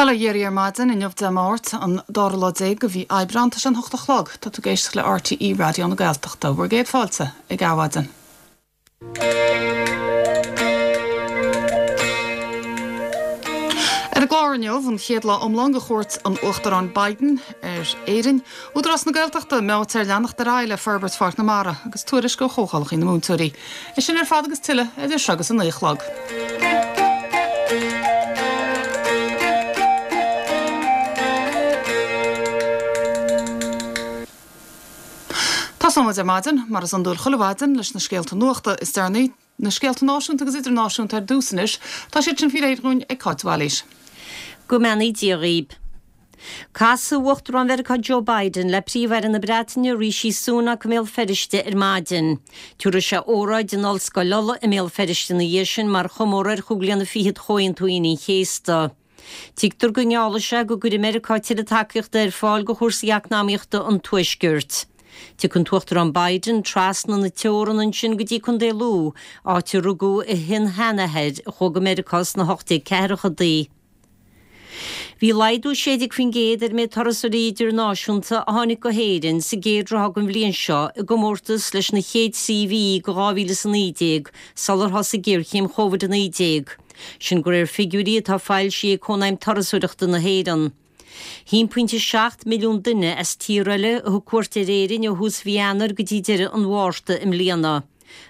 Bail ó Dhia oraibh ar maidin inniu Dé Máirt, an dara lá déag de mhí Aibreán. Tá sé an hocht a chlog. Tá tú ag éisteacht le RTÉ Raidió na Gaeltachta. Bhur gcéad fáilte ag Adhmhaidin. Ar an gclár inniu, an chéad lá iomlán de chuairt an Uachtaráin Biden ar Éirinn, Údarás na Gaeltachta meáite ar leanacht ar aghaidh le forbairt Pháirc na Mara agus tuairisc ó Chomhdhálacha na Múinteoirí. É sin ar fad agus tuilleadh idir seo agus a 9 a chlog. Tosóidh muid ar maidin, mar is iondúil chuile mhaidin, leis na scéalta nuachta is deireanaí, na scéalta náisiúnta agus idirnáisiúnta ar dtús anois. Tá siad sin faoi réir dhúinn ag Cáit de Bhailís. Go mbeannaí Dia dhaoib. Casfaidh Uachtarán Mheiriceá Joe Biden le Príomh-Aire na Breataine Rishi Sunak i mBéal Feirste ar maidin. Tabharfaidh sé óráid in Ollscoil Uladh i mBéal Feirste ina dhiaidh sin mar chomóradh ar chúig bliana fichead Chomhaontú Aoine an Chéasta. Tuigtear go ngeallfaidh sé go gcuirfidh Meiriceá tuilleadh tacaíochta ar fáil do chúrsaí eacnamaíochta an Tuaiscirt. Tiocfaidh an tUachtarán Biden trasna na teorann ansin go dtí Contae Lú, áit a rugadh a shin-sheanathair a chuaigh go Meiriceá sna 1840idí. Bhí laghdú 16% ar an méid turasóirí idirnáisiúnta a tháinig go hÉirinn sa gcéad ráithe den bhliain seo i gcomórtas leis na chéad trí mhí de 2019 sular thosaigh géarchéim Covid-19. Sin de réir figiúirí atá foilsithe ag Cónaidhm Turasóireachta na hÉireann. 1.7 milliún duine as tíortha eile a thug cuairt ar Éirinn ó thús mhí Eanáir go dtí deireadh an Mhárta i mbliana.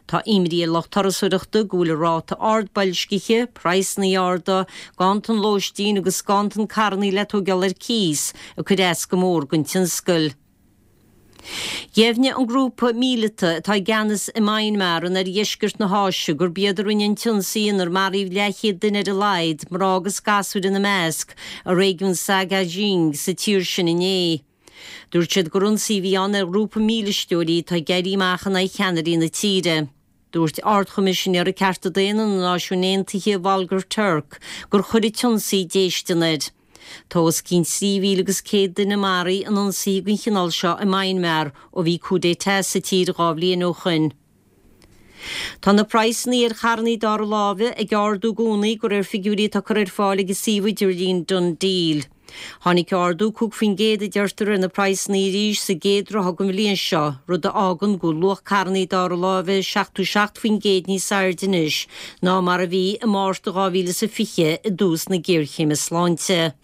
Tá imní ar lucht turasóireachta go bhfuil an ráta ard boilscithe, praghsanna arda, ganntan lóistín agus ganntan carrannaí le tóigeáil ar cíos ag cur as go mór don tionscal. Dheimhnigh an grúpa míleata atá i gceannas i Maenmar in oirdheisceart na hÁise gurb iad a rinne an t-ionsaí inar maraíodh leathchéad duine ar a laghad, mná agus gasúir ina measc, i réigiún Sagaing sa tír sin inné. Dúirt siad gur ionsaí a bhí ann ar ghrúpa mílisteoirí atá ag éirí amach in aghaidh cheannairí na tíre. Dúirt Ard-Choimisinéara Cearta Daonna na Náisiún Aontaithe, Volker Turk, gur chuir an t-ionsaí déistean air. Tá os cionn 3,000 agus 100 duine maraithe in ionsaithe den chineál seo i Maenmar ó bhí coup d'état sa tír 2 bhliain ó shoin. Tá na praghsanna ar charrannaí dara láimhe ag ardú i gcónaí de réir figiúirí atá curtha ar fáil ag an suíomh idirlín DoneDeal. Tháinig ardú 5% a deirtear ar na praghsanna arís sa gcéad ráithe den bhliain seo, rud a fhágann go bhfuil luach carrannaí dara láimhe 77% níos airde anois ná mar a bhí i Márta 2020 i dtús na géarchéime sláinte.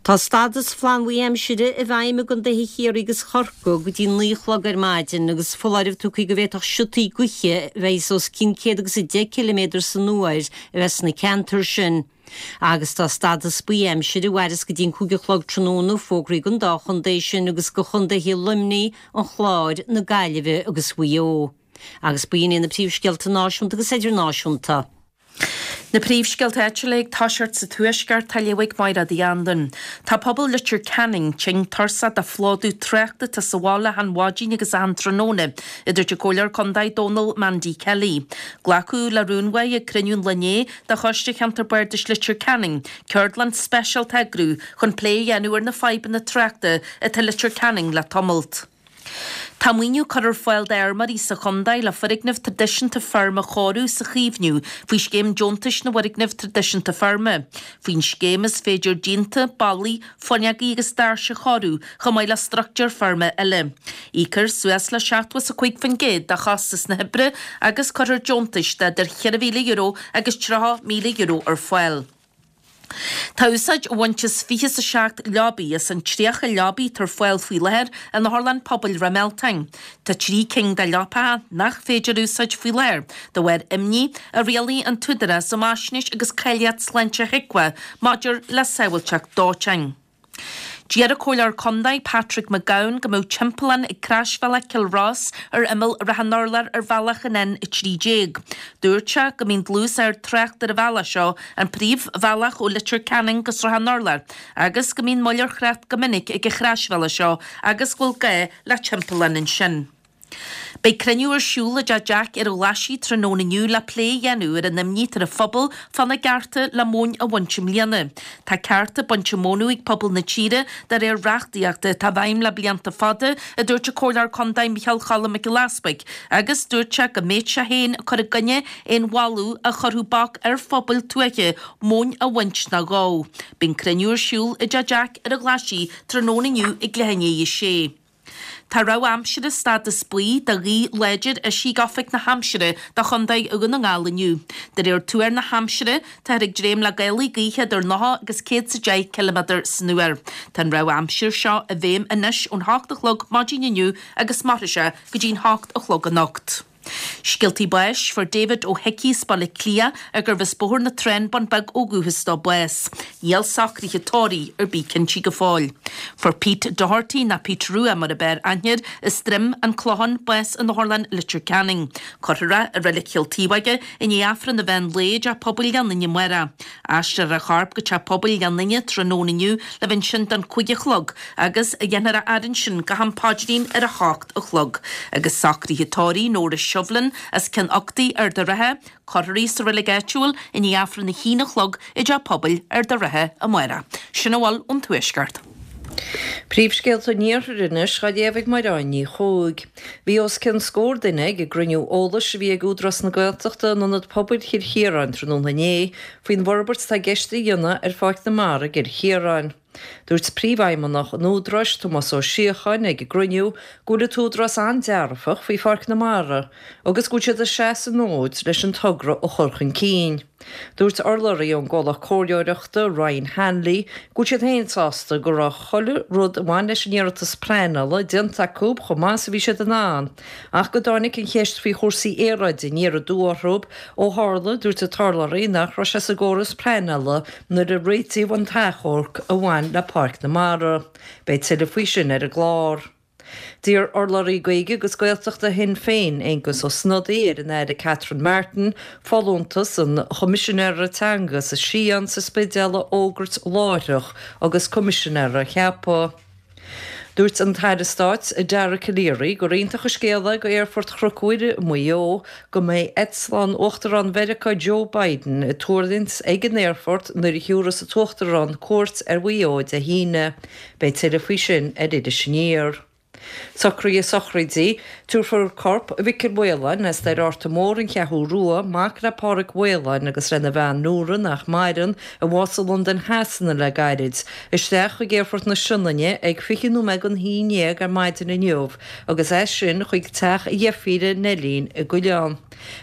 Tá stadas flannbhuí aimsire i bhfeidhm i gcontaetha Chiarraí agus Chorcaí go dtí 9 a chlog ar maidin agus foláireamh tugtha go bhféadfadh siotaí gaoithe a bheidh os cionn 110 ciliméadar san uair a bheith sna ceantair sin. Agus tá stadas buí aimsire a mhairfeas go dtí an 5 a chlog tráthnóna fógraithe don dá chontae sin agus do chontaetha Luimnigh, an Chláir, na Gaillimhe agus Mhaigh Eo. Agus b'in iad na príomhscéalta náisiúnta agus idirnáisiúnta. Na príomhscéalta áitiúla ag toiseacht sa Tuaisceart á léamh ag Máiréad Uí Anluain. Tá pobal Leitir Ceanainn tinn tuirseach de phlódú tráchta atá sa bhaile achan mhaidin agus achan tráthnóna, a dúirt an Comhairleoir Contae Dónal Mandy Kelly. Glacadh le rún uaidh ag cruinniú an lae inné de Choiste Cheantar Bardais Leitir Ceanainn ceardlann speisialta a eagrú chun plé a dhéanamh ar na fadhbanna tráchta atá i Leitir Ceanainn le tamalt. Tá maoiniú curtha ar fáil d'fheirmeoirí sa chontae le foirgnimh traidisiúnta feirme a chóiriú is a chaomhnú faoi Scéim Deontais na bhFoirgneamh Traidisiúnta Feirme. Faoin scéim is féidir díonta, ballaí, fuinneogaí agus doirse a chóiriú chomh maith le struchtúir feirme eile. Íocfar suas le 75% de chostas na hoibre agus cuirfear deontais de idir €4,000 agus €30,000 ar fáil. Tá úsáid á bhaint as 27 leabaidh as an 30 leabaidh atá ar fáil faoi láthair in Otharlann Pobail Ráth Mealtain. Tá 3 cinn de leapacha nach féidir a úsáid faoi láthair de bharr imní a rialaigh an tÚdarás um Fhaisnéis agus Cáilíocht Sláinte HIQA maidir le sábháilteacht dóiteáin. D'iarr an Comhairleoir Condae Patrick McGowan go mbeadh timpeallán ag croisbhealach Chill Rois ar imeall Ráth an Urláir ar bhealach an N13. Dúirt sé go mbíonn dlús ard tráchta ar an bhealach seo, an príomhbhealach ó Leitir Ceanainn go Srath an Urláir, agus go mbíonn moill ar thrácht go minic ag an chroisbhealach seo agus go bhfuil gá le timpeallán ansin. Beidh cruinniú ar siúl i dTeach Jack ar an Ghlaisigh tráthnóna inniu le plé a dhéanamh ar an imní atá ar an phobal fána gcearta le móin a bhaint i mbliana. Tá cearta bainte mónadh ag pobal na tíre de réir reachtaíochta atá i bhfeidhm le blianta fada, a dúirt an Comhairleoir Contae Micheál Cholm Mac Giolla Easbuig, agus dúirt sé go mbeadh sé féin ag cur i gcoinne aon mholadh a chuirfeadh bac ar phobail tuaithe móin a bhaint ná dhó. Beidh an cruinniú ar siúl i dTeach Jack ar an Ghlaisigh tráthnóna inniu ag leath i ndiaidh a sé. Tá rabhadh aimsire stádas buí do ghaoth láidir eisithe ag Oifig na hAimsire do Chontae Dhún na nGall inniu. De réir tuar na haimsire, táthar ag dréim le gálaí gaoithe idir 90 agus 110 ciliméadar san uair. Tá an rabhadh aimsire seo i bhfeidhm anois ón hocht a chlog maidin inniu agus mairfidh sé go dtí'n hocht a chlog anocht. Scéaltaí báis, Fuair David Ó hIcí as Baile Átha Cliath, a gurbh as Bóthar na Trá, Bun Beag ó dhúchas dó, bás. Níl socruithe tórraimh ar bith cinnte go fóill. Fuair Pete Doherty, nó Pete Rua mar ab fhearr aithne air, as Droim an Clochán, bás in Otharlann Leitir Ceanainn. Cuirfear é i Reilig Chill Taobhóige i ndiaidh Aifreann an mheán lae i dTeach Pobail Ghleann Fhinne amárach. Aistreofar a chorp go Teach Pobail Ghleann Fhinne tráthnóna inniu le bheith ansin don 5 a chlog agus dhéanfar a fhaire ansin go ham paidrín ar a hocht a chlog. Agus socruithe tórraimh Nóra Shivlin as Ceann Uchtaigh, Ard a' Rátha, cuirfear í sa reilig áitiúil i ndiaidh Aifreann a haon a chlog i dTeach Pobail Ard a' Rátha amárach. Sin a bhfuil ón Tuaisceart. Príomhscéalta an Iarthair anois á léamh ag Mairéad Ní Chuaig. Bhí os cionn scór duine ag an gcruinniú eolais a bhí ag Údarás na Gaeltachta in Ionad Pobail Chill Chiaráin tráthnóna inné faoin bhforbairt atá i gceist a dhéanamh ar Pháirc na Mara i gCill Chiaráin. Dúirt Príomhfheidhmeannach an Údaráis, Tomás Ó Síocháin, ag an gcruinniú go bhfuil an tÚdarás an-dearfach faoi Pháirc na Mara agus go bhfuil siad ag seasamh an fhóid leis an togra a chur chun cinn. Dúirt urlabhraí ón gcomhlacht comhairleoireachta, Ryan Hanley, go bhfuil siad féin sásta go raibh chuile rud a bhain leis an iarratas pleanála déanta acu chomh maith is a bhí siad in ann, ach go dtáinig an cheist faoi chúrsaí aeráide aniar aduaidh orthu ó tharla, dúirt an t-urlabhraí, nach raibh sé sa gcóras pleanála nuair a réitíodh an t-achomharc a bhain le Páirc na Mara. Beidh tuilleadh faoi sin ar an gclár. D'iarr urlabhraí Gaeilge agus Gaeltachta Shinn Féin, Aengus Ó Snodaigh, ar an Aire Catherine Martin folúntas an Choimisinéara Teanga sa Sián sa Spidéal a fhógairt láithreach agus Coimisinéara a cheapadh. Dúirt an tAire Stáit Dara Calleary gur iontach an scéal é do Aerfort Chnoc Mhuire i Maigh Eo go mbeidh eitleán Uachtarán Mheiriceá Joe Biden ag tuirlingt ag an aerfort nuair a thiúrfas an tUachtarán cuairt ar Mhaigh Eo Dé hAoine. Beidh tuilleadh faoi sin ar Iris Aniar. Socruithe sochraide, Tabharfar corp Mhicil Mhaoláin as Doire Fhárta Mór, An Cheathrú Rua, mac le Pádhraic Mhaoláin agus lena bhean Nóra, nach maireann, a bhásaigh i Londain Shasana le gairid, isteach chuig Aerfort na Sionainne ag 20 nóiméad don haon dhéag ar maidin inniu agus as sin chuig teach a dheirfíre Neilín i gCuilleán.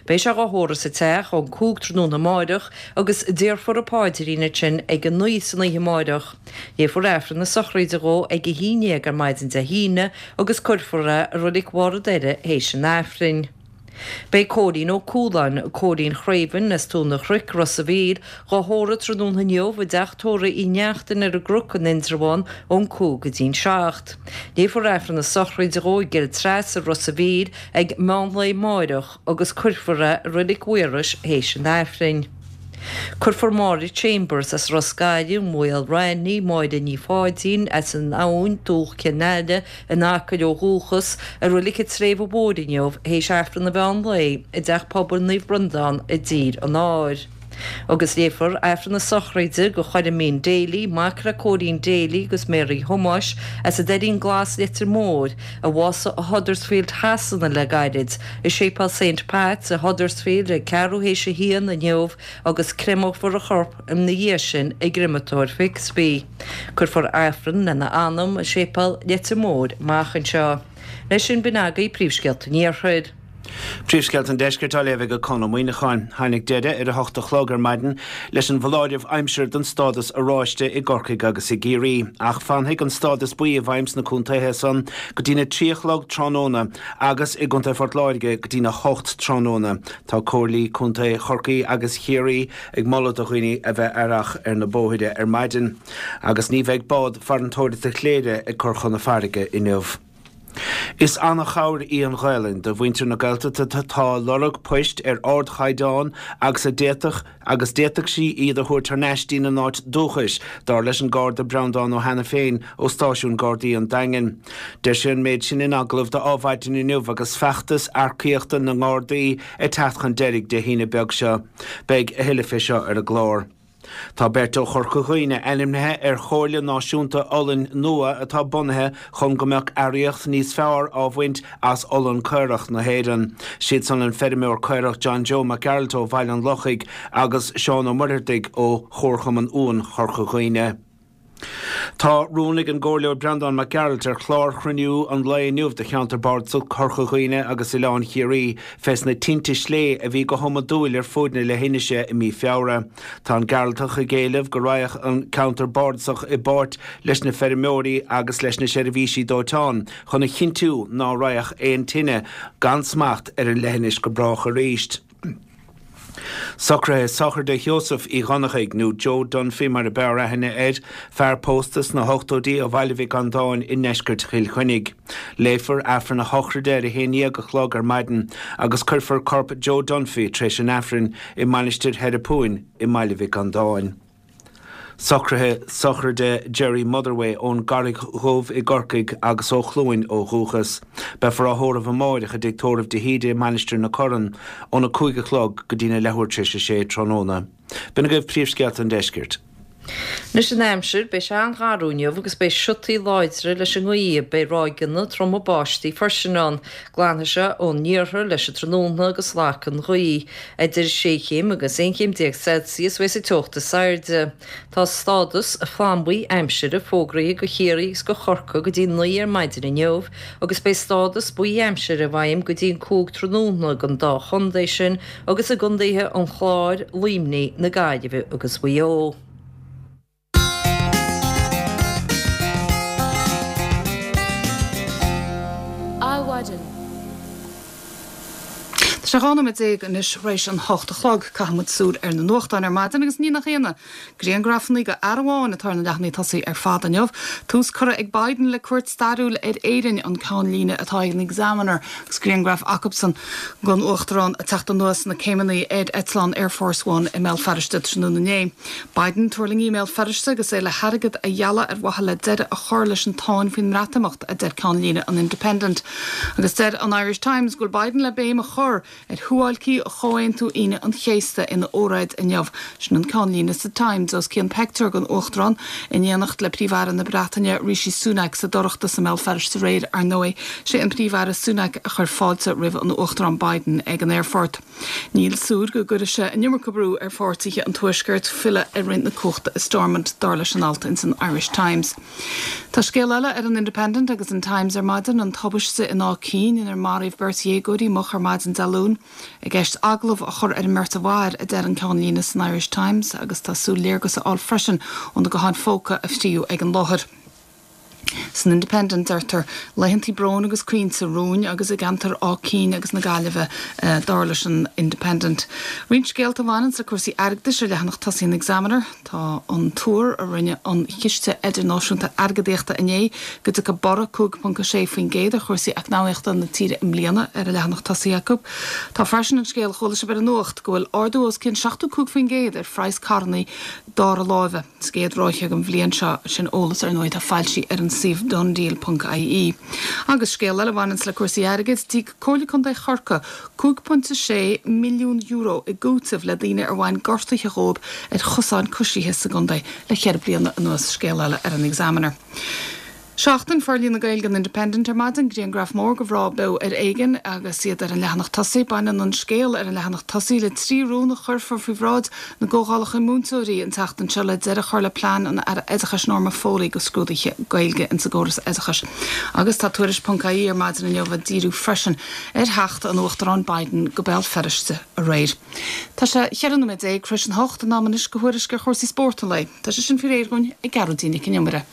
Beidh sé dhá thórramh sa teach ón 5 tráthnóna amáireach agus déarfar an paidrín ansin ag a 9 san oíche amáireach. Léifear Aifreann na sochraide dhó ag a haon dhéag ar maidin Dé hAoine agus cuirfear é i Roilig Bharr an Doire théis an Aifrinn. Beidh Cóilín Ó Cualáin, Cóilín Chraoibhinn as Tóin an Chnoic, Ros a' Mhíl, dhá thórramh tráthnóna inniu i dteach tórraimh Uí Neachtain ar an gCnoc in Indreabhán ón 5 go dtí'n 7. Léifear Aifreann na sochraide dhó i gCill Treasa, Ros a' Mhíl ag meán lae amáireach agus cuirfear é i Roilig Mhaorais théis an Aifrinn. Cuirfear Máire Chambers as Ros Gaile, Maol Raithní, Máire Ní Pháidín as an Abhainn, Dumhach Chionn Aile, in Acaill ó dhúchas, i Roilig an tSléibhe Mhóir inniu théis Aifreann an mheán lae i dTeach Pobail Naomh Breandán i dTír an Áir. Agus léifear Aifreann na sochraide do Choilimín Daly, mac le Cóilín Daly agus Mary Thomáis as an Doirín Glas Leitir Móir, a bhásaigh i Huddersfield Shasana le gairid, i Séipéal Saint Pat's i Huddersfield ag ceathrú théis a haon inniu agus créamófar a chorp ina dhiaidh sin i gcreamatóir Fixby. Cuirfear Aifreann lena anam i Séipéal Leitir Móir amach anseo. Leis sin b'in agaibh príomhscéalta an Iarthair. Príomhscéalta an Deiscirt á léamh ag Conn Ó Muíneacháin. Tháinig deireadh ar a hocht a chlog ar maidin leis an bhfoláireamh aimsire don stádas oráiste i gCorcaigh agus i gCiarraí. Ach fanfaidh an stádas buí i bhfeidhm sna contaetha san go dtína trí a chlog tráthnóna agus i gContae Phort Láirge go dtína hocht tráthnóna. Tá Comhairlí Contae Chorcaí agus Chiarraí ag moladh do dhaoine a bheith aireach ar na bóithre ar maidin. Agus ní bheidh bád farantóireachta Chléire ag cur chun na farraige inniu. Is an-chabhair í an Ghaelainn do mhuintir na Gaeltachta atá ag lorg poist ar ardchaighdeán agus a d'fhéadfadh agus d'fhéadfadh sí iad a thabhairt thar n-ais dtína n-áit dúchais, dar leis an Garda Breandán Ó hAiniféin ó Stáisiún Gardaí an Daingin. Deir sé an méid sin in agallamh do Adhmhaidin inniu agus feachtas earcaíochta na nGardaí ag teacht chun deiridh Dé hAoine beag seo. Beidh a thuilleadh fé seo ar an gclár. Tá beirt ó Chorca Dhuibhne ainmnithe ar Chomhairle Náisiúnta Olainn nua atá bunaithe chun go mbeadh earraíocht níos fearr á bhaint as olann caorach na hÉireann. Siad san an feirmeoir caorach John Joe Mac Gearailt ó Bhaile an Lochaigh agus Seán Ó Muircheartaigh ó Chomharchumann Uan Chorca Dhuibhne. Tá rún ag an gComhairleoir Breandán Mac Gearailt ar chlár chruinniú an lae inniu de Cheantar Bardasach Chorca Dhuibhne agus Oileán Chiarraí fés na tinte slé a bhí go hiomadúil ar fuaid na leithinise i mí Feabhra. Tá an Gearaltach ag éileamh go raghadh an Ceantar Bardasach i bpáirt leis na feirmeoirí agus leis na seirbhísí dóiteáin chun a chinntiú ná raghadh aon tine gan smacht ar an leithinis go brách arís. Socruithe sochraide Sheosaimh Uí Dhonnachaigh, nó Joe Dunphy mar a b'fhearr aithne air, fear pósta sna hochtóidí ó Bhaile Mhic Andáin i ndeisceart Chill Chainnigh. Léifear Aifreann a shochraide ar a 11 a chlog ar maidin agus cuirfear corp Joe Dunphy tar éis an Aifrinn i Mainistir Sheireapúin i mBaile Mhic Andáin. Socruithe sochraide Gerry Motherway ón gCarraig Dhubh i gCorcaigh agus ó Chluain ó dhúchas. Beifear á thórramh amáireach i dTigh Tórraimh de hÍde i Mainistir na Corann óna 5 a chlog go dtína leathuair tar éis a sé tráthnóna. B'in agaibh príomhscéalta an deiscirt. Anois an aimsir, beidh sé an-gharbh inniu agus beidh siotaí láidre leis an ngaoth. Beidh ráigeanna troma báistí freisin ann. Glanfaidh sé ón iarthar leis an tráthnóna agus lagfaidh an ghaoth. Idir sé chéim agus 11 chéim Celsius a bheas an teocht is airde. Tá stádas flannbhuí aimsire fógraithe do Chiarraí agus do Chorcaigh go dtí 9 ar maidin inniu agus beidh stádas buí aimsire i bhfeidhm go dtí an 5 tráthnóna don dá chontae sin agus i gcontaetha an Chláir, Luimnigh, na Gaillimhe agus Mhaigh Eo. Adhmhaidin. Tá sé 12 nóiméad anois tar éis an hocht a chlog. Caithfidh muid súil ar na nuachtáin ar maidin agus ní nach ionadh, grianghrafanna de fhear amháin atá ar na leathanaigh tosaigh ar fad inniu. Tús curtha ag Biden le cuairt stairiúil ar Éirinn, an ceannlíne atá ag an Examiner agus grianghraf acubsan den Uachtarán ag teacht anuas na céimeanna ar eitleán Air Force One i mBéal Feirste tráthnóna inné. Biden tuirlingthe i mBéal Feirste agus é le hairgead a ghealladh ar mhaithe le deireadh a chur leis an tsáinn faoin mBreatimeacht, a deir ceannlíne an Independent. Agus deir an Irish Times go bhfuil Biden le béim a chur ar shuáilcí Chomhaontú Aoine an Chéasta ina óráid inniu. Sin an ceannlíne sa Times, os cionn peictiúr den Uachtarán in éineacht le Príomh-Aire na Breataine Rishi Sunak sa dToireachtas i mBéal Feirste aréir, ar ndóigh. Sé an Príomh-Aire Sunak a chuir fáilte roimh an Uachtarán Biden ag an aerfort. Níl súil go gcuirfidh sé an iomarca brú ar pháirtithe an Tuaiscirt filleadh ar roinnt na cumhachta i Stormont, dar leis an alt ins an Irish Times. Tá scéal eile ar an Independent agus an Times ar maidin, an tubaiste in Áth Cinn inar maraíodh beirt dhéagóirí moch ar maidin Dé Luain. I gceist agallamh a chur ar an mbeirt a mhair, a deir an ceannlíne san Irish Times, agus tá súil léargas a fháil freisin ó na gutháin phóca a fríodh ag an láthair. San Independent deirtear, Laethantaí bróin agus caointe romhainn agus i gceantar Áth Cinn agus na Gaillimhe, dar leis an Independent. Roinnt scéalta a bhaineanns le cúrsaí airgeadais ar leathanach tosaigh an Examiner. Tá an tuar a rinne an Chiste Idirnáisiúnta Airgeadaíochta inné go dtiocfaidh borradh 5.6% ar chúrsaí eacnamaíochta na tíre i mbliana ar an leathanach tosaigh acu. Tá freisin an scéal a chuala sibh ar an nuacht go bhfuil ardú os cionn 75% ar phraghas carrannaí dara láimhe. Sa gcéad ráithe den bhliain seo, sin eolas ar ndóigh atá foilsithe ar an suíomh donedeal ponc ie. Agus scéal eile a bhaineanns le cúrsaí airgid, d'íoc Comhairle Contae Chorcaí €5.6 milliún i gcúiteamh le daoine ar bhain gortuithe dhóibh ar chosáin coisithe sa gcontae le cheithre bliana anuas, scéal eile ar an Examiner. Seachtain Forlíonadh na Gaeilge an Independent ar maidin, grianghraf mór de mhná Beo ar Éigean agus iad ar an leathanach tosaigh. Baineann an scéal ar an leathanach tosaigh le 3 rún a chuirfear faoi bhráid na gcomhdhálacha múinteoirí an tseachtain seo le deireadh a chur le plean an Aire Oideachais Norma Foley do scrúduithe Gaeilge insa gcóras oideachais. Agus tá Tuairisc ponc ie ar maidin inniu ag díriú freisin ar theacht an Uachtaráin Biden go Béal Feirste aréir. Tá sé 14 nóiméad tar éis an hocht, in am anois do thuairisc ar chúrsaí spóirt an lae. Tá sé sin faoi réir dhúinn ag Gearóidín Nic an Iomaire.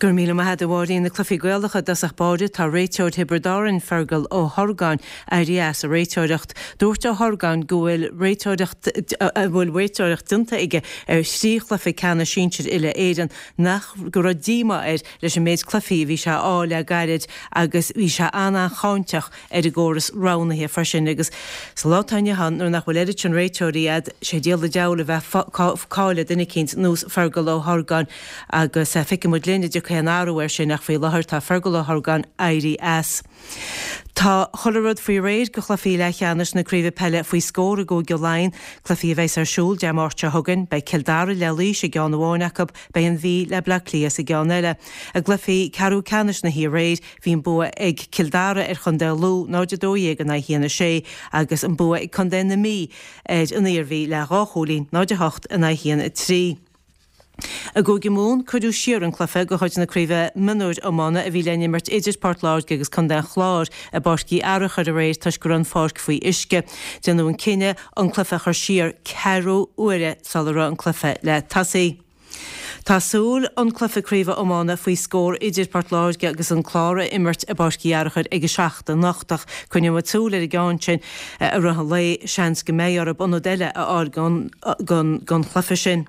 Go raibh míle maith agat a Mháirín. Na cluichí Gaelacha i dtosach báire, tá réiteoir Thiobraid Árann, Fergal Ó hOrgáin, éirithe as an réiteoireacht. Dúirt Ó hOrgáin go bhfuil réiteoireacht a bhfuil réiteoireacht déanta aige ar thrí chluiche ceannais sinsir uile-Éireann nach go raibh díomá air leis an méid cluichí a bhí sé a fháil le gairid agus bhí sé an-an-cháinteach ar an gcóras roghnaithe freisin agus sa lá atá inniu ann nuair nach bhfuil oiread sin réiteoirí a'd, sé díol an diabhail a bheith cáil ar duine eicínt nós Fergal Ó hOrgáin agus feicfidh muid linn an dtiocfaidh aon athrú air sin ach faoi láthair tá Fergal Ó hOrgáin éirithe as. Tá chuile rud faoi réir go chluichí leathcheannais na Craoibhe Peile faoi scór i gCúige Laighean, cluichí a bheas ar siúl Dé Máirt seo chugainn. Beidh Cill Dara le Laois i gceann amháin acu, beidh an Mhí le Bleá Cliath sa gceann eile. I gcluichí ceathrú ceannais na hí aréir, Bhí an bua ag Cill Dara ar Chontae Lú, 0-12 in aghaidh 1-6, agus an bua ag Contae na Mí ar an Iarmhí le dhá chúilín, 0-8 in aghaidh 1-3. I gCúige Mumhan, cuireadh siar an cluiche de chuid na Craoibhe Mionúir Iomána a bhí le n-imirt idir Port Láirge agus Contae an Chláir i bPáirc Uí Fhearachair aréir toisc go raibh an pháirc faoi uisce. Déanadh an cinneadh an cluiche a chur siar ceathrú uaire sula raibh an cluiche le tosaí. Tá súil an cluiche craoibhe iomána faoi scór idir Port Láirge agus an Clár a imirt i bPáirc Uí Fhearachair ag a 7 anocht ach coinneoidh muid súil ar an gceann sin i rith an lae. Seans go mbeidh orthu ionad eile a fháil don chluiche sin.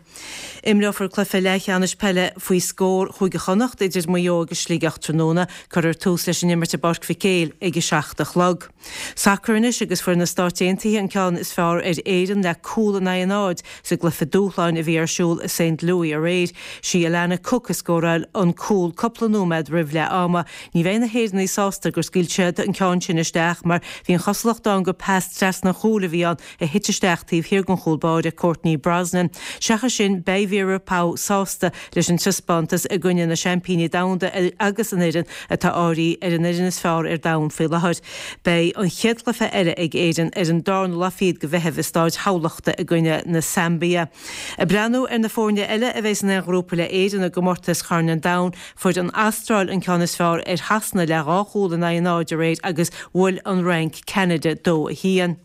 Imreofar cluiche leathcheannais peile faoi scór Chúige Chonnacht idir Maigh Eo agus Sligeach tráthnóna. Cuirfear tús leis an imirt i bPáirc Mhic Éil ag a 7 a chlog. Sacar anois agus fuair na Stáit Aontaithe an ceann is fearr ar Éirinn le cúl in aghaidh a náid sa gcluiche dúshláin a bhí ar siúl i Saint Louis aréir. Sí Alana Cook a scóráil an cúl cúpla nóiméad roimh leath ama. Ní bheidh na hÉireannaigh sásta gur scaoil siad an ceann sin isteach mar bhí an chosúlacht ann gur pas trasna an chúil a bhí ann a thit isteach taobh thiar den chúl báire, Courtney Brosnan. Seachas sin, beidh Vera Pauw sásta leis an taispeántas i gcoinne na seaimpíní domhanda agus an fhoireann atá áirithe ar an fhoireann is fearr ar domhan faoi láthair. Beidh an chéad chluiche eile ag Éirinn ar an darna lá fichead de Mheitheamh i Stáid Thamhlachta i gcoinne na Saimbia. Ag breathnú ar na foirne eile a bheidh san aon ghrúpa le Éirinn i gcomórtas Chorn an Domhain, fuair an Astráil an ceann is fearr ar Shasana le 2 chúl in aghaidh a 0 aréir agus bhuail an Fhrainc Ceanada 2, 1.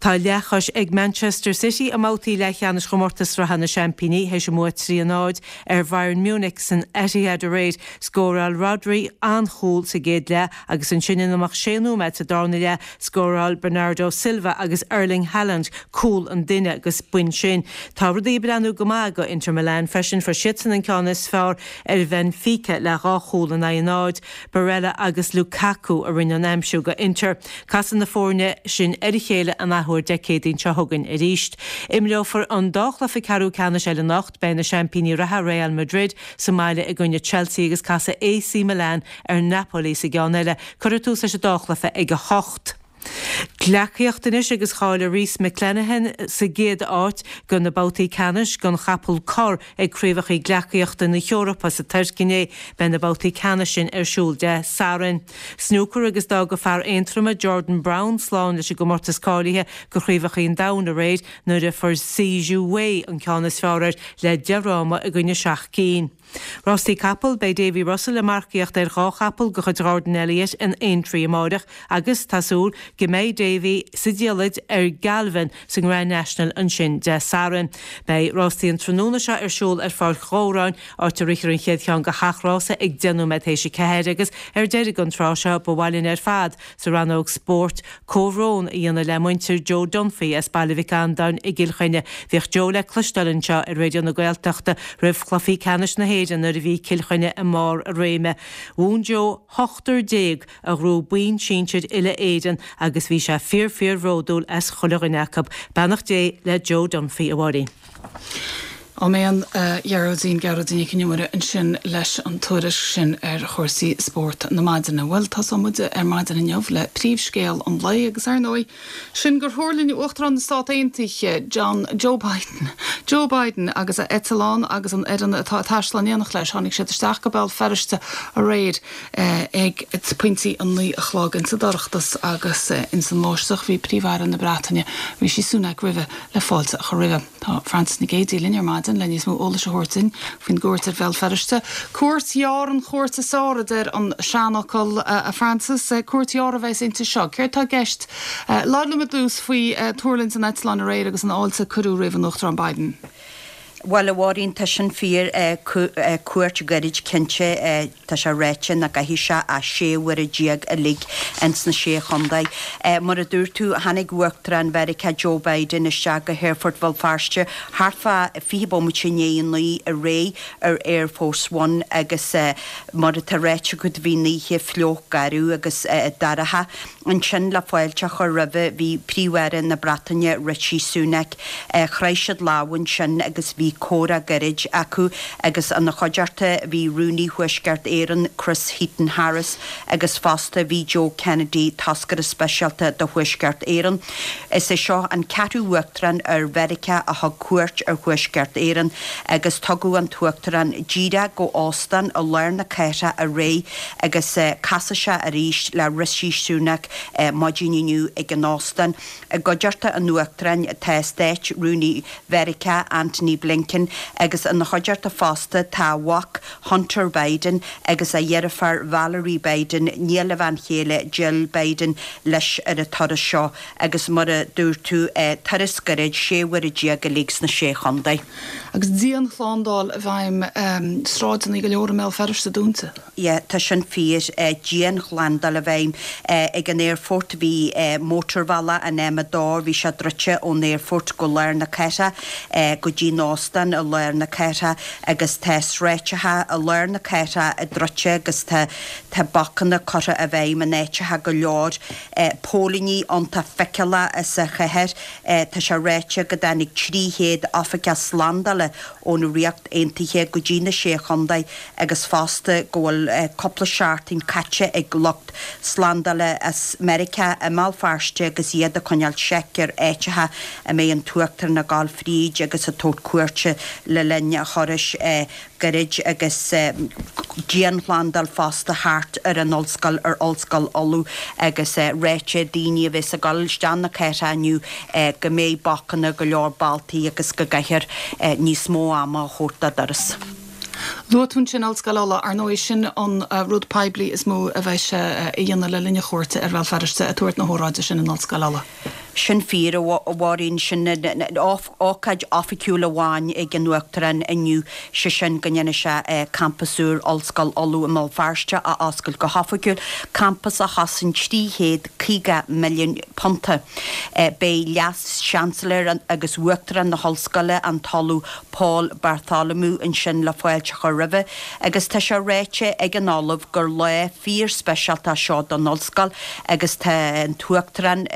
Tá leathchois ag Manchester City i mbabhtaí leathcheannais chomórtas sraithe na Seaimpíní théis a mbua 3, 0 ar Bhayern Munich san Etihad aréir. Scóráil Rodri an-chúl sa gcéad leath agus ansin in imeacht sé nóiméad sa darna leath scóráil Bernardo Silva agus Erling Haaland cúl an duine agus b'in sin. Tá rudaí ag breathnú go maith do Inter Milan freisin. Fuair siadsan an ceann is fearr ar Bhenfica le 2 chúl in aghaidh a 0. Barella agus Lukaku a rinne an aimsiú do Inter. Casfaidh na foirne sin ar a chéile an athuair Dé Céadaoin seo chugainn arís. Imreofar an dá chluiche ceathrú ceannais eile anocht. Beidh na seaimpíní reatha Real Madrid sa mbaile i gcoinne Chelsea agus casfaidh AC Milan ar Napoli sa gceann eile. Cuirfear tús leis an dá chluiche ag 8. Gleacaíocht anois agus cháiligh Rhys McClenaghan sa gcéad áit do na babhtaí ceannais don chapall corr ag Craobhacha Gleacaíochta na hEorpa sa Tuirc inné. Beidh na babhtaí ceannais sin ar siúl Dé Sathairn. Snúcar agus d'fhág fear Aontroma Jordan Brown slán leis an gcomórtas cáilithe do Chraobhacha an Domhain aréir nuair a fuair Si Zhu Wei an ceann is fearr air le 10 fhráma i gcoinne 7 gcinn. Rástaí capall, Beidh Davy Russell ag marcaíocht ar 2 chapall de chuid Ghordon Elliott in Aintree amáireach agus tá súil go mbeidh Davy sa diallait ar Galvin sa nGrand National ansin Dé Sathairn. Beidh rástaí an tráthnóna seo ar siúl ar Pháirc Dhobhráin, áit a rithfear an chéad cheann go hachrás ag 10 nóiméad théis a 4 agus ar deireadh don tráth seo ba mhaith linn ar fad sa rannóg spóirt comhbhrón a dhéanamh le muintir Joe Dunphy as Baile Mhic Andáin i gCill Chainnigh. Bhíodh Joe le cloisteáil anseo ar Raidió na Gaeltachta roimh chluichí ceannais na hÉireann nuair a bhí Cill Chainnigh i mbarr a réime. Mhúin Joe ochtar déag a ghnóthaigh boinn sinsir uile-Éireann agus bhí sé fíor fíor bhródúil as chuile dhuine acu. Beannacht Dé le Joe Dunphy, a Mháirín. Áiméan, a Ghearóidín, Gearóidín Nic Con Iomaire ansin leis an tuairisc sin ar chúrsaí spóirt na maidine. Bhuel, tosóidh muid ar maidin inniu le príomhscéal an lae agus, ar ndóigh, sin gur thuirling Uachtarán na Stát Aontaithe, John, Joe Biden, Joe Biden agus a eitleán agus an fhoireann atá ag taisteal in éineacht leis, tháinig siad isteach go Béal Feirste aréir ag pointí a 9 a chlog insa dorchadas agus ins an mbáisteach. Bhí Príomh-Aire na Breataine, Rishi Sunak roimhe le fáilte a chur roimhe. Tá Frances Nic Géadaigh linn ar maidin le níos mó eolais a thabhairt duinn faoin gcuairt ar Bhéal Feirste. Cuairt ghearr an chuairt is fearr, a deir an seanfhocal, a Frances. Cuairt ghearr a bheas inti seo. Céard tá i gceist? Labhair liom i dtús faoi tuirlingt an eitleáin aréir agus an fháilte a cuireadh roimh an Uachtarán Biden. Bhuel, a Mháirín, tá sin fíor. Cuairt ghairid cinnte. Tá sé ráite nach gcaithfidh sé ach 16 uaire uilig ins na Sé Chontae. Mar a dúirt tú, tháinig Uachtarán Mheiriceá Joe Biden isteach go hAerfort Bhéal Feirste thart fá 20 bomaite i ndiaidh a 9 aréir ar Air Force One agus mar atá ráite agat bhí an oíche fliuch garbh agus dorcha. Ansin le fáilte a chur roimhe bhí Príomh-Aire na Breataine Rishi Sunak. Chroith siad lámha ansin agus bhí comhrá gairid acu agus ina chuideachta bhí Rúnaí Thuaisceart Éireann Chris Heaton-Harris agus fosta bhí Joe Kennedy, toscaire speisialta do Thuaisceart Éireann. Is é seo an ceathrú Uachtarán ar Mheiriceá a thug cuairt ar Thuaisceart Éireann agus tugadh an tUachtarán díreach go óstán i lár na cathrach aréir agus casfaidh sé arís le Rishi Sunak maidin inniu ag an óstán. I gcuideachta an Uachtaráin tá Stáit-Rúnaí Mheiriceá Antony Blinken agus ina chuideachta fosta tá a mhac Hunter Biden agus a dheirfiúr Valerie Biden, nia le bhean chéile Jill Biden, leis ar an turas seo agus mar a dúirt tú, turas gairid, 16 uaire uilig sna Sé Chontae. Agus dianshlándáil i bhfeidhm, sráideanna go leor i mBéal Feirste dúnta. Yeah, tá sin fíor. Dianshlándáil i bhfeidhm ag an aerfort. Bhí mótarbhealach an M2, bhí sé druidte ón aerfort go lár na cathrach, go dtí an óstán i lár na cathrach agus tá sráideacha i lár na cathrach druidte agus tá tá bacanna curtha i bhfeidhm in áiteacha go leor. Póilíní iontach feiceálach sa chathair. Tá sé ráite go dtáinig 300 oifigeach slándála ón Ríocht Aontaithe go dtí na Sé Chontae agus fosta go bhfuil cúpla seachtain caite ag lucht slándála as Meiriceá i mBéal Feirste agus iad ag coinneáil seic ar áiteacha a mbeidh an tUachtarán ag gabháil fríd agus ag tabhairt cuairte le linn a thurais gairid agus dianshlándáil fosta thart ar an ollscoil, ar Ollscoil Uladh agus ráite ag daoine a bheas ag dul isteach na cathrach inniu go mbeidh bacanna go leor bealtaí agus go gcaithfear níos mó ama a thabhairt dá dturas. Luaigh tú ansin Ollscoil Uladh. Ar ndóigh, sin an rud poiblí is mó a bheidh sé a dhéanamh le linn a chuairte ar Bhéal Feirste, ag tabhairt na hóráide sin in Ollscoil Uladh. Sin fíor, a Mháirín. Sin an ócáid oifigiúil amháin ag an Uachtarán inniu, sé sin go ndéanfaidh sé campas úr Ollscoil Uladh i mBéal Feirste a oscailt go hoifigiúil, campas a chosain £350 milliún. Beidh Leas-Seansailéir agus Uachtarán na hOllscoile, an tOllamh Paul Bartholomew ansin le fáilte a chur roimhe agus tá sé ráite ag an Ollamh gur lá fíor-speisialta é seo don Ollscoil agus tá an tUachtarán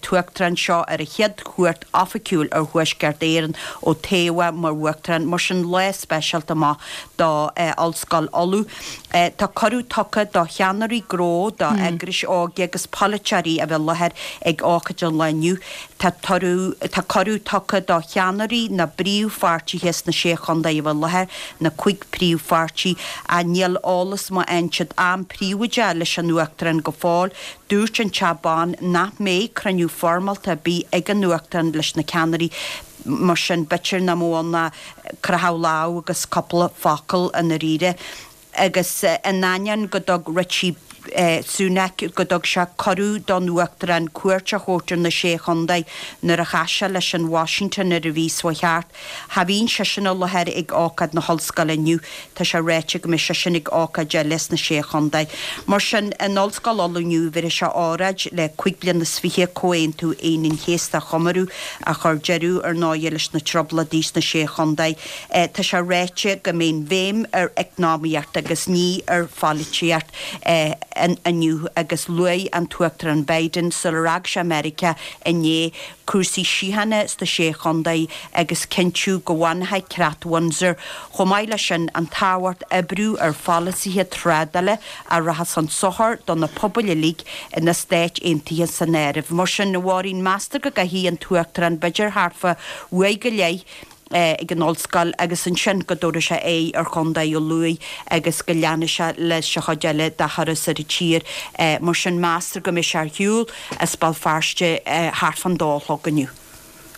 tUachtarán seo ar a chéad chuairt oifigiúil ar Thuaisceart Éireann ó toghadh mar Uachtarán, mar sin lá speisialta maith do Ollscoil Uladh. Tá cuireadh tugtha do cheannairí gnó, do eagrais óige agus polaiteoirí a bheith i láthair ag ócáid an lae inniu. Tá tá cuireadh tugtha do cheannairí na bpríomhpháirtithe sna Sé Chontae a bheith i láthair, na cúig príomhpháirtí, ach níl eolas maith ansiúd am príobháideach leis an Uachtarán go fóill. Dúirt an Teach Bán nach mbeidh cruinniú foirmeálta ar bith ag an Uachtarán leis na ceannairí, mar sin b'fhéidir nach mbeadh ann ach croitheadh lámh agus cúpla focal i ndáiríre. Agus in ainneoin go dtug Rishi Sunak go dtug sé cuireadh don Uachtarán cuairt a thabhairt ar na Sé Chontae nuair a chas sé leis in Washington ar an mhí seo chuaigh thart, cha bhíonn seisean i láthair ag ócáid na hollscoile inniu. Tá sé ráite go mbeidh seisean ag ócáid eile sna Sé Chontae. Mar sin, in Ollscoil Uladh inniu, bhéarfaidh sé óráid le 25 bliana Comhaontú Aoine an Chéasta a chomóradh, a chuir deireadh, ar ndóighe, leis na Trioblóidí sna Sé Chontae. Tá sé ráite go mbeidh an bhéim ar eacnamaíocht agus ní ar pholaitíocht inniu agus luaigh an tUachtarán Biden sular fhág sé Meiriceá inné cúrsaí síochána sna Sé Chontae agus cinntiú go bhfanfaidh Creat Windsor. Chomh maith leis sin, an tábhacht oibriú ar pholasaithe trádála a rachas chun sochair do na pobail uilig, na Stáit Aontaithe san áireamh. Mar sin, a Mháirín, meastar go gcaithfidh an tUachtarán b'fhéidir thart fá uair go leith ag an ollscoil agus ansin go dtabharfaidh sé aghaidh ar Chontae an Lú agus go leanfaidh sé leis an chuid eile dá thuras ar an tír. Mar sin, meastar go mbeidh sé ar shiúl as Béal Feirste thart fán dó a chlog inniu.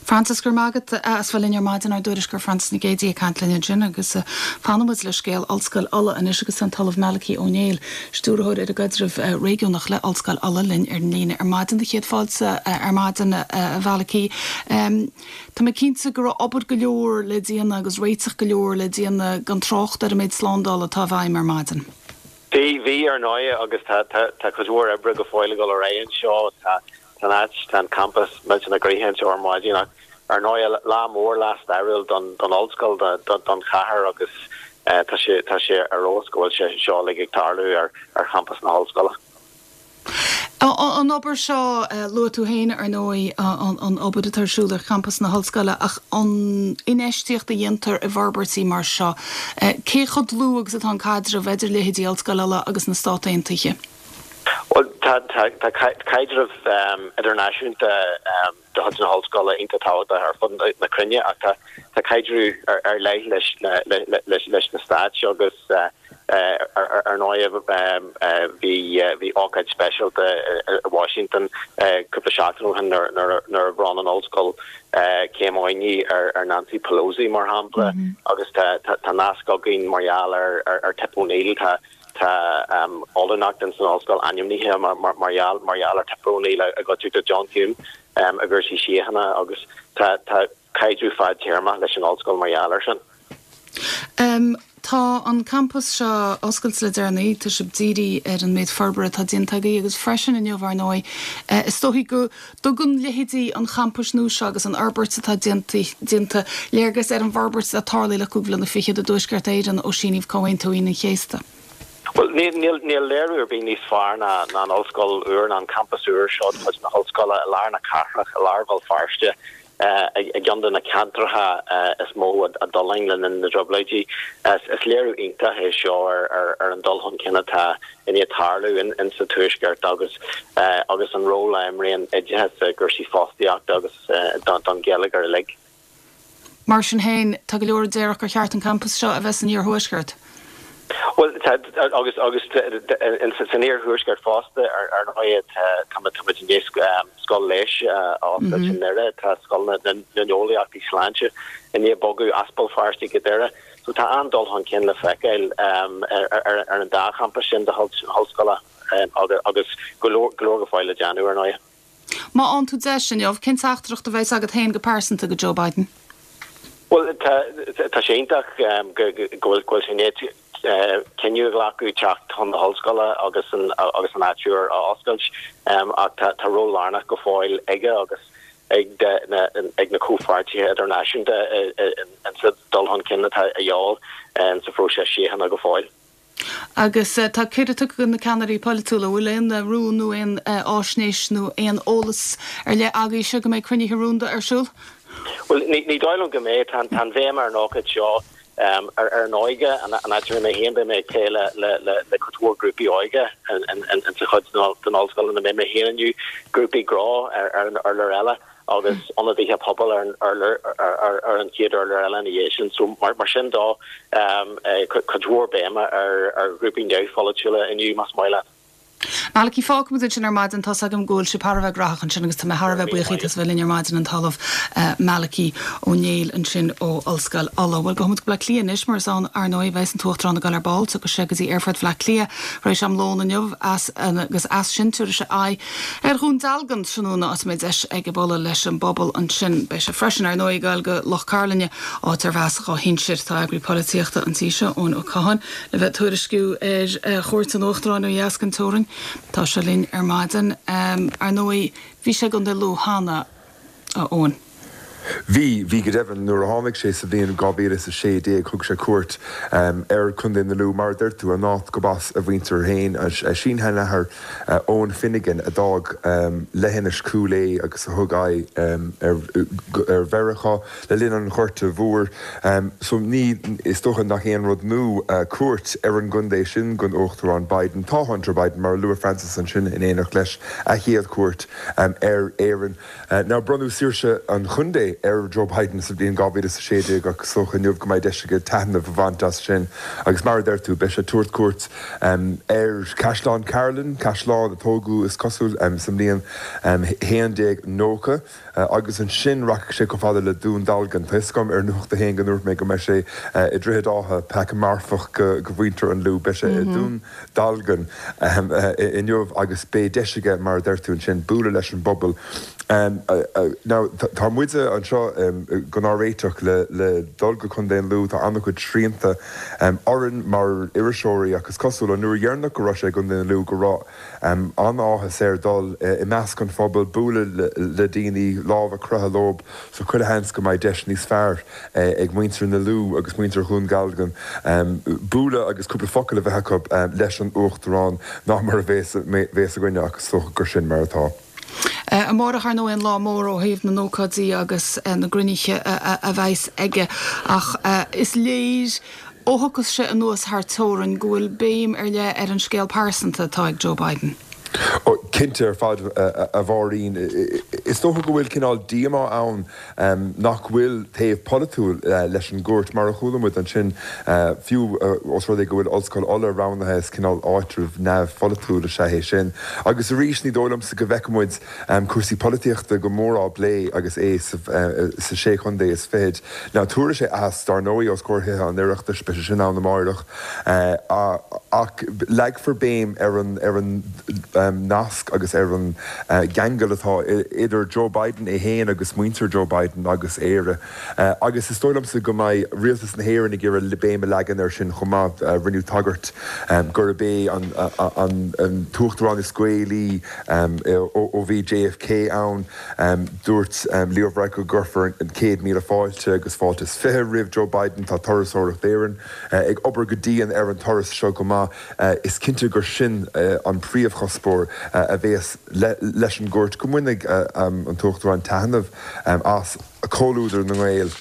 Frances, go raibh maith agat as bheith linn ar maidin, ár dtuairisceoir Frances Nic Géadaigh ag caint linn ansin agus fanfaidh muid le scéal Ollscoil Uladh anois agus tá an tOllamh Malachy Ó Néill, Stiúrthóir ar an gCaidreamh Réigiúnach le Ollscoil Uladh linn ar an líne ar maidin. Do chéad fáilte ar maidin, a Mhalachy. Tá mé cinnte go raibh obair go leor le déanamh agus réiteach go leor le déanamh gan trácht ar an méid slándála atá i bhfeidhm ar maidin. Bhí, bhí ar ndóigh agus tá, tá, tá cuid mhór oibre go fóill ag dul ar aghaidh anseo. Tá, tá an áit, tá an campas millteanach gnoitheach anseo ar maidin ach ar ndóigh lá mór, lá stairiúil don, don ollscoil, do, do, don chathair agus tá sé, tá sé ar fheabhas go bhfuil sé seo uilig ag tarlú ar, ar champas na hollscoile. An obair seo, luaigh tú féin, ar ndóigh, an obair atá ar siúl ar champas na hollscoile, ach an infheistíocht a dhéantar i bhforbairtí mar seo, cé chomh dlúth agus atá an caidreamh idir leithéidí Ollscoil Uladh agus na Stát Aontaithe? Bhuel, tá caidreamh idirnáisiúnta de chuid na hollscoile iontach tábhachtach ar fud na cruinne ach tá caidreamh ar leith leis na Stáit agus ar ndóigh bhí ócáid speisialta i Washington cúpla seachtain ó shin nuair a bhronn an ollscoil céim oinigh ar Nancy Pelosi mar shampla agus tá nasc againn mar gheall ar Tip O'Neill. Tá Tá ollúnacht ins an ollscoil ainmnithe mar gheall mar gheall ar Tip O'Neill i gcuideachta John Hume i gcúrsaí síochána agus tá tá caidreamh fadtéarmach leis an ollscoil mar gheall air sin. Tá an campas seo oscailte le deireanaí, tá sibh dírithe ar an méid forbartha atá déanta agaibh agus freisin inniu ar ndóigh is dóichí go dtugann leithéidí an champais nua seo agus an fhorbairt atá déanta léargas ar an bhforbairt atá tarlaithe le cúig bhliana fichead i dTuaisceart Éireann ó síníodh Comhaontú Aoine an Chéasta. Bhuel, níl léiriú ar bith níos fearr ná an ollscoil úr, ná an campas úr seo de chuid na hollscoile i lár na cathrach, i lár Bhéal Feirste, i gceann de na ceantracha is mó a d'fhulaing le linn na dTrioblóidí. Is léiriú iontach é seo ar an dul chun cinn atá i ndiaidh tarlú in sa Tuaisceart agus agus an ról a imríonn oideachas i gcúrsaí fostaíochta agus don gheilleagar uilig. Mar sin féin, tá go leor a déarfadh gur cheart an campas seo a bheith san iarthuaisceart. Bhuel, tá, agus agus san iarthuaisceart fosta, ar ndóigh, tá muid i ndiaidh scoil leighis a oscailt i nDoire, tá scoil na n-eolaíochtaí sláinte i ndiaidh bogadh as Béal Feirste go Doire. So tá an-dul chun cinn le feiceáil ar an dá champas sin de chuid na hollscoile agus go leor go fóill le déanamh, ar ndóigh. Má fhaigheann tú deis inniu, cén teachtaireacht a bheas agat féin go pearsanta go Joe Biden? Bhuel, tá sé iontach go bhfuil sé i ndiaidh cinneadh a ghlacadh teacht chun na hollscoile agus an agus an áit úr a oscailt ach tá ról lárnach go fóill aige agus ag na ag na comhpháirtithe idirnáisiúnta insa dul chun cinn atá a dhíobháil sa phróiseas síochána go fóill. Agus tá cuireadh tugtha do na ceannairí polaitiúla. An bhfuil aon rún nó aon fháisnéis nó aon eolas ar leith agaibhse go mbeidh cruinnithe rúnda ar siúl? Bhuel, ní dóigh liom go mbeidh. Tá an bhéim ar an ócáid seo ar an óige, an áit a mbeidh mé féin, beidh mé ag plé le cuid mhór grúpaí óige insa chuid den ollscoil ina mbeidh mé féin inniu, grúpaí gnó ar an urlár eile. agus ionadaithe pobail ar an urlár, ar an chéad urlár eile ina dhiaidh sin. So mar sin dó, cuid mhór béime ar ghrúpaí neamhpholaitiúla inniu, más maith leat. Malachy, fágfaimid ansin ar maidin. Tá's agam go bhfuil sibh thar a bheith graitheach ansin agus tá mé thar a bheith buíoch díot as a bheith linn ar maidin, an tOllamh Malachy Ó Néill ansin ó Ollscoil Uladh. Bhuel, gabhfaidh muid go Bleá Cliath anois mar is ann, ar ndóigh, a bheas an tUachtarán ag dul ar ball. Tiocfaidh sé go dtí Aerfort Bhleá Cliath tar éis am lóin inniu agus as sin tabharfaidh sé aghaidh Ar Dhún Dealgan tráthnóna, áit a mbeidh deis aige bualadh leis an bpobal ansin. Beidh sé freisin, ar ndóigh, ag dul go Loch Cairlinne, áit arbh as dhá shinsir. Tá eagraí polaitíochta an tí seo, Eoin Ó Catháin, le bheith ag tuairisciú ar chuairt an Uachtaráin ó dheas den teorainn. Tá sé linn ar maidin. Ar ndóigh, bhí sé i gContae Lú cheana, a Eoin. Bhí, bhí go deimhin. Nuair a tháinig sé sa bhliain 2016 thug sé cuairt ar Chontae na Lú, mar a deir tú, an áit gurb as a mhuintir féin, a sin-sheanathair Eoin Finnegan a d'fhág leithinis Chúil Aodha agus a thug aghaidh ar Mheiriceá le linn an Ghorta Mhóir. So ní, is dócha nach aon rud nua cuairt ar an gcontae sin don Uachtarán Biden. Tá Hunter Biden, mar a luaigh Frances ansin, in éineacht leis, a chéad chuairt ar Éirinn. Now bronnadh saoirse an chontae. sé ar Joe Biden sa bhliain 2016 ach is dócha inniu go mbeidh deis aige taitneamh a bhaint as sin agus mar a deir tú, beidh sé ag tabhairt cuairt ar Chaisleán Carlin, caisleán a tógadh, is cosúil, sa mbliain 1190. Agus ansin rachaidh sé chomh fada le Dún Dealgan. Tá 'fhios agam ar Nuacht a hAon go ndúirt mé go mbeidh sé i Droichead Átha, peaca marfach go mhuintir an Lú. Beidh sé i Dún Dealgan inniu agus beidh deis aige, mar a deir tú ansin, bualadh leis an bpobal. Now, tá muide anseo gan ár réiteach le dul go Contae an Lú. Tá an-chuid srianta orainn mar iriseoirí ach is cosúil an uair dheireanach go raibh sé i gContae an Lú go raibh An-áthas air dul i measc an phobail, bualadh le daoine, lámh a chroitheadh leo, so chuile sheans go mbeidh deis níos fearr ag muintir na Lú agus muintir Dhún Dealgan bualadh agus cúpla focal a bheith acu leis an Uachtarán ná mar a bhéas againne ach is dócha gur sin mar atá. Amárach, ar ndóigh, an lá mór ó thaobh na n-ócáidí agus na gcruinnithe a bheas aige ach is léir Ó thiocfas sé anuas thar teorainn go bhfuil béim ar leith ar an scéal pearsanta atá ag Joe Biden. Ó, cinnte ar fad, a Mháirín. Is dócha go bhfuil cineál díomá ann nach bhfuil taobh polaitiúil leis an gcuairt, mar a chuala muid ansin, fiú os rud é go bhfuil Ollscoil Uladh roghnaithe, is cineál áitreabh neamhpholaitiúil is ea é sin. Agus arís, ní dóigh liomsa go bhfeicfidh muid cúrsaí polaitíochta go mór á bplé agus é sa Sé Chontae is Fichead. Now tabharfaidh sé aitheasc dar ndóigh os comhair Thithe an Oireachtais, beidh sé sin ann amáireach, ach leagfar béim ar an ar an nasc agus ar an gceangal atá idir Joe Biden é féin agus muintir Joe Biden agus Éire. Agus is dóigh liomsa go mbeidh rialtas na hÉireann ag iarraidh béim a leagan air sin chomh maith. Rinneadh tagairt gurb é an t-uachtarán is Gaelaí ó bhí JFK ann. Dúirt Leo Varadkar go gcuirfear an 100,000 fáilte agus fáilte is 20 roimh Joe Biden. Tá Turasóireacht Éireann ag obair go dian ar an turas seo go maith. Is cinnte gur sin an príomhchuspóir a bhéas leis an gcuairt, go mbainfidh an tUachtarán taitneamh as comhluadar na nGael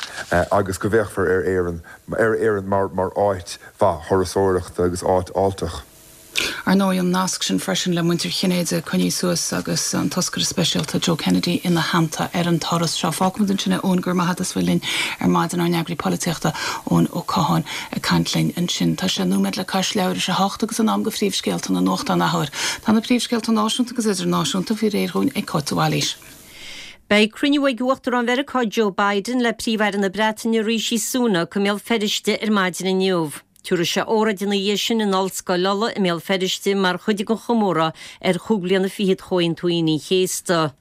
agus go bhféachfar ar Éirinn ar Éirinn mar áit mhaith thurasóireachta agus áit fháilteach. Ar ndóigh, an nasc sin freisin le muintir Chinnéide coinnithe suas agus an toscaire speisialta Joe Kennedy ina theannta ar an turas seo. Fágfaimid ansin é Eoin, go raibh maith agat as bheith linn ar maidin, ár n-eagraí polaitíochta Eoin Ó Catháin ag caint linn ansin. Tá sé nóiméad le cois leathuair tar éis a hocht agus in am do phríomhscéalta na nuachtán athuair. Tá na príomhscéalta náisiúnta agus idirnáisiúnta faoi réir dhúinn ag Cáit de Bhailís. Beidh cruinniú ag Uachtarán Mheiriceá Joe Biden le Príomh-Aire na Breataine Rishi Sunak i mBéal Feirste ar maidin inniu. Tabharfaidh sé óráid ina dhiaidh sin in Ollscoil Uladh i mBéal Feirste mar chuid den chomóradh ar chúig bliana fichead Chomhaontú Aoine an Chéasta.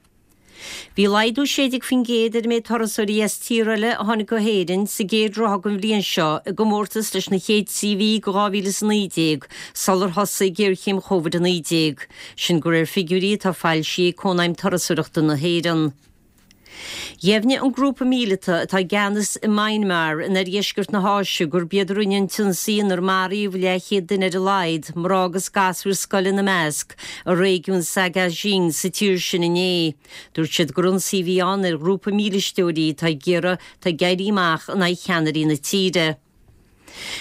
Bhí laghdú 16% ar an méid turasóirí as tíortha eile a tháinig go hÉirinn sa gcéad ráithe den bhliain seo i gcomórtas leis na chéad trí mhí de 2019 sular thosaigh géarchéim Covid-19. Sin de réir figiúirí atá foilsithe ag Cónaidhm Turasóireachta na hÉireann. Dheimhnigh an grúpa míleata atá i gceannas i Myanmar in oirdheisceart na hÁise gurb iad a rinne an t-ionsaí inar maraíodh leathchéad duine ar a laghad, mná agus gasúir scoile ina measc, i réigiún Sagaing sa tír sin inné. Dúirt siad gur ionsaí a bhí ann ar ghrúpa mílisteoirí atá ag iarraidh atá ag éirí amach in aghaidh cheannairí na tíre.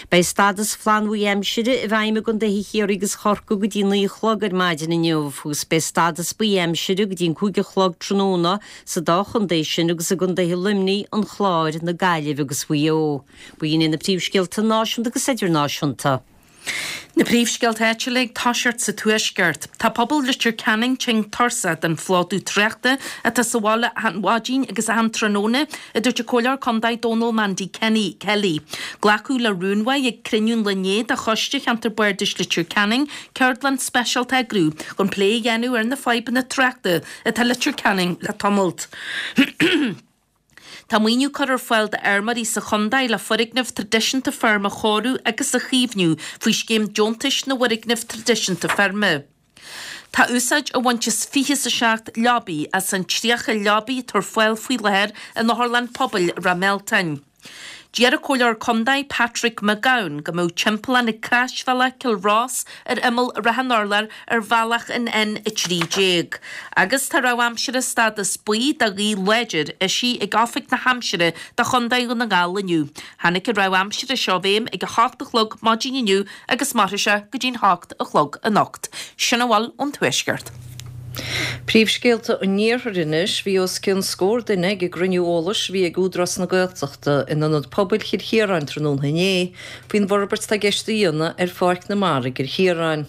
Beidh stádas flannbhuí aimsire i bhfeidhm i gcontaetha Chiarraí agus Chorcaí go dtí 9 a chlog ar maidin inniu agus beidh stádas buí aimsire go dtí an 5 a chlog tráthnóna sa dá chontae sin agus i gcontaetha Luimnigh, an Chláir, na Gaillimhe agus Mhaigh Eo. B'in iad na príomhscéalta náisiúnta agus idirnáisiúnta. Na príomhscéalta áitiúla ag toiseacht sa Tuaisceart. Tá pobal Leitir Ceanainn tinn tuirseach den phlódú tráchta atá sa bhaile achan mhaidin agus achan tráthnóna, a dúirt an Comhairleoir Contae Dónal Mandy Kenny, Kelly. Glacadh le rún uaidh ag cruinniú an lae inné de Choiste Cheantar Bardais Leitir Ceanainn ceardlann speisialta a eagrú chun plé a dhéanamh ar na fadhbanna tráchta atá i Leitir Ceanainn le tamalt. Tá maoiniú curtha ar fáil d'fheirmeoirí sa chontae le foirgnimh traidisiúnta feirme a chóiriú agus a chaomhnú faoi Scéim Deontais na bhFoirgneamh Traidisiúnta Feirme. Tá úsáid á bhaint as 27 leabaidh as an 30 leabaidh atá ar fáil faoi láthair in Otharlann Pobail Ráth Mealtain. Deir an Comhairleoir Contae Patrick Mac Gabhann go mbeadh timpeallán ag Croisbhealach Chill Rois ar imeall Ráth an Urláir ar bhealach an N13. Agus tá rabhadh aimsire stádas buí do ghaoth láidir eisithe ag Oifig na hAimsire do Chontae Dhún na nGall inniu. Tháinig an rabhadh aimsire seo i bhfeidhm ag 8 a chlog maidin inniu agus mairfidh sé go dtí'n 8 a chlog anocht. Sin a bhfuil ón Tuaisceart. Príomhscéalta an Iarthair anois, Bhí os cionn scór duine ag an gcruinniú eolais a bhí ag Údarás na Gaeltachta in Ionad Pobail Chill Chiaráin tráthnóna inné faoin bhforbairt atá i gceist a dhéanamh ar Pháirc na Mara i gCill Chiaráin.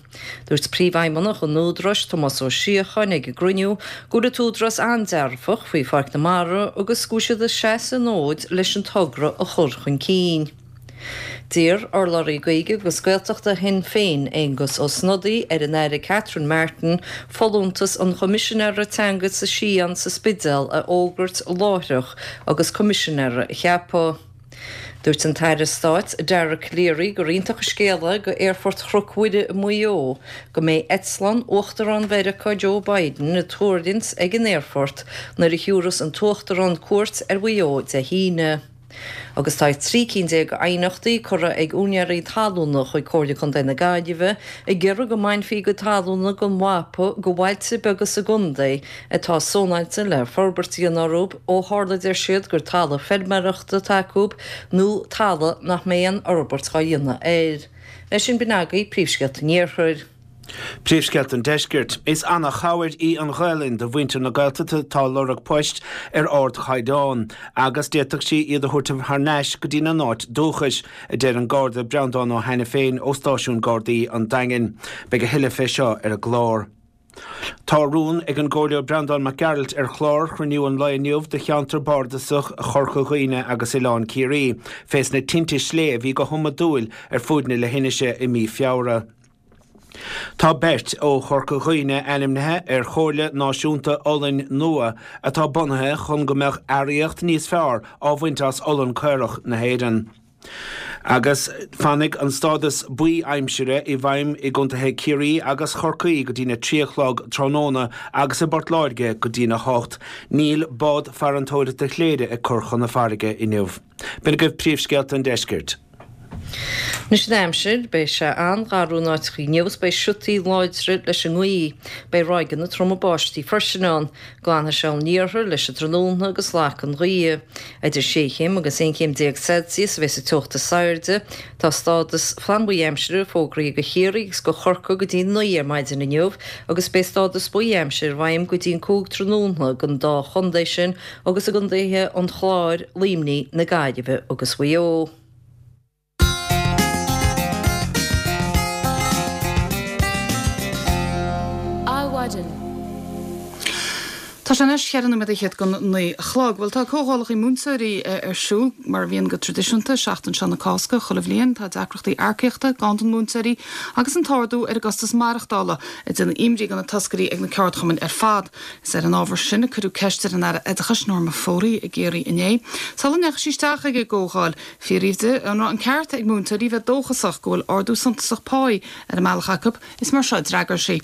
Dúirt Príomhfheidhmeannach an Údaráis, Tomás Ó Síocháin, ag an gcruinniú go bhfuil an tÚdarás an-dearfach faoi Pháirc na Mara agus go bhfuil siad ag seasamh an fhóid leis an togra a chur chun cinn. D'iarr urlabhraí Gaeilge agus Gaeltachta Shinn Féin, Aengus Ó Snodaigh, ar an Aire Catherine Martin folúntas an Choimisinéara Teanga sa Sián sa Spidéal a fhógairt láithreach agus Coimisinéara a cheapadh. Dúirt an tAire Stáit Dara Calleary gur iontach an scéal é go Aerfort Chnoc Mhuire i Maigh Eo go mbeidh eitleán Uachtarán Mheiriceá Joe Biden ag tuirlingt ag an aerfort nuair a thiúrfas an tUachtarán cuairt ar Mhaigh Eo Dé hAoine. Agus tá 13 cinn d'aighneachtaí curtha ag úinéirí talúna chuig Comhairle Contae na Gaillimhe ag iarraidh go mbainfí a gcuid talúna den mhapa de bhailte beaga sa gcontae atá sónáilte le forbairt a dhéanamh orthu ó tharla, deir siad, gur talamh feilméarachta atá acu nó talamh nach mbeidh aon fhorbairt á dhéanamh air. Leis sin, b'in agaibh príomhscéalta an Iarthair. Príomhscéalta an Deiscirt. Is ana-chabhair í an Ghaelainn do mhuintir na Gaeltachta atá ag lorg poist ar ardchaighdeán agus d'fhéadfadh sí iad a thabhairt thar n-ais go dtína n-áit dúchais, a deir an Garda Breandán Ó hAiniféin ó Stáisiún Gardaí an Daingin. Beidh a thuilleadh fé seo ar an gclár. Tá rún ag an gComhairleoir Breandán Mac Gearailt ar chlár chruinniú an lae inniu do cheantar bardasach Chorca Dhuibhne agus Oileán Ciarraí fés na tinte slé a bhí go hiomadúil ar fuaid na leithinise i mí Feabhra. Tá beirt ó Chorca Dhuibhne ainmnithe ar Chomhairle Náisiúnta Olainn nua atá bunaithe chun go mbeadh earraíocht níos fearr á bhaint as olann caorach na hÉireann. Agus fanfaidh an stádas buí aimsire i bhfeidhm i gcontaetha Chiarraí agus Chorcaí go dtína 3 a chlog tráthnóna agus i bPort Láirge go dtína 8. Níl bád farantóireachta Chléire ag cur chun na farraige inniu. B'in agaibh príomhscéalta an deiscirt. Anois an aimsir, beidh sé an-gharbh in áiteachaí inniu agus beidh siotaí láidre leis an ngaoth. Beidh ráigeanna troma báistí freisin ann. Glanfaidh sé ón iarthar leis an tráthnóna agus lagfaidh an ghaoth. Idir sé chéim agus 11 chéim Celsius a bheas an teocht is airde. Tá stádas flannbhuí aimsire fógraithe do Chiarraí agus do Chorcaigh go dtí 9 ar maidin inniu agus beidh stádas buí aimsire i bhfeidhm go dtí an 5 tráthnóna don dá chontae sin agus i gcontaetha an Chláir, Luimnigh, na Gaillimhe agus Mhaigh Eo. Adhmhaidin. Tá sé anois cheithre nóiméad fhichead don 9 a chlog. Bhuel, tá comhdhálacha múinteoirí ar siúl, mar a bhíonn go traidisiúnta, seachtain seo na Cásca chuile bhliain. Tá deacrachtaí earcaíochta, ganntan múinteoirí agus an t-ardú ar an gcostas maireachtála ag déanamh imní do na toscairí ag na ceardchumainn ar fad. Is ar an ábhar sin a cuireadh ceist ar an Aire Oideachais, Norma Foley, i gCiarraí inné. Sula ndeachaigh sí isteach ag an gcomhdháil, fiafraíodh di an raibh an ceart ag múinteoirí bheith dóchasach go bhfuil ardú suntasach páí ar an mbealach acu. Is mar seo a d'fhreagair sí.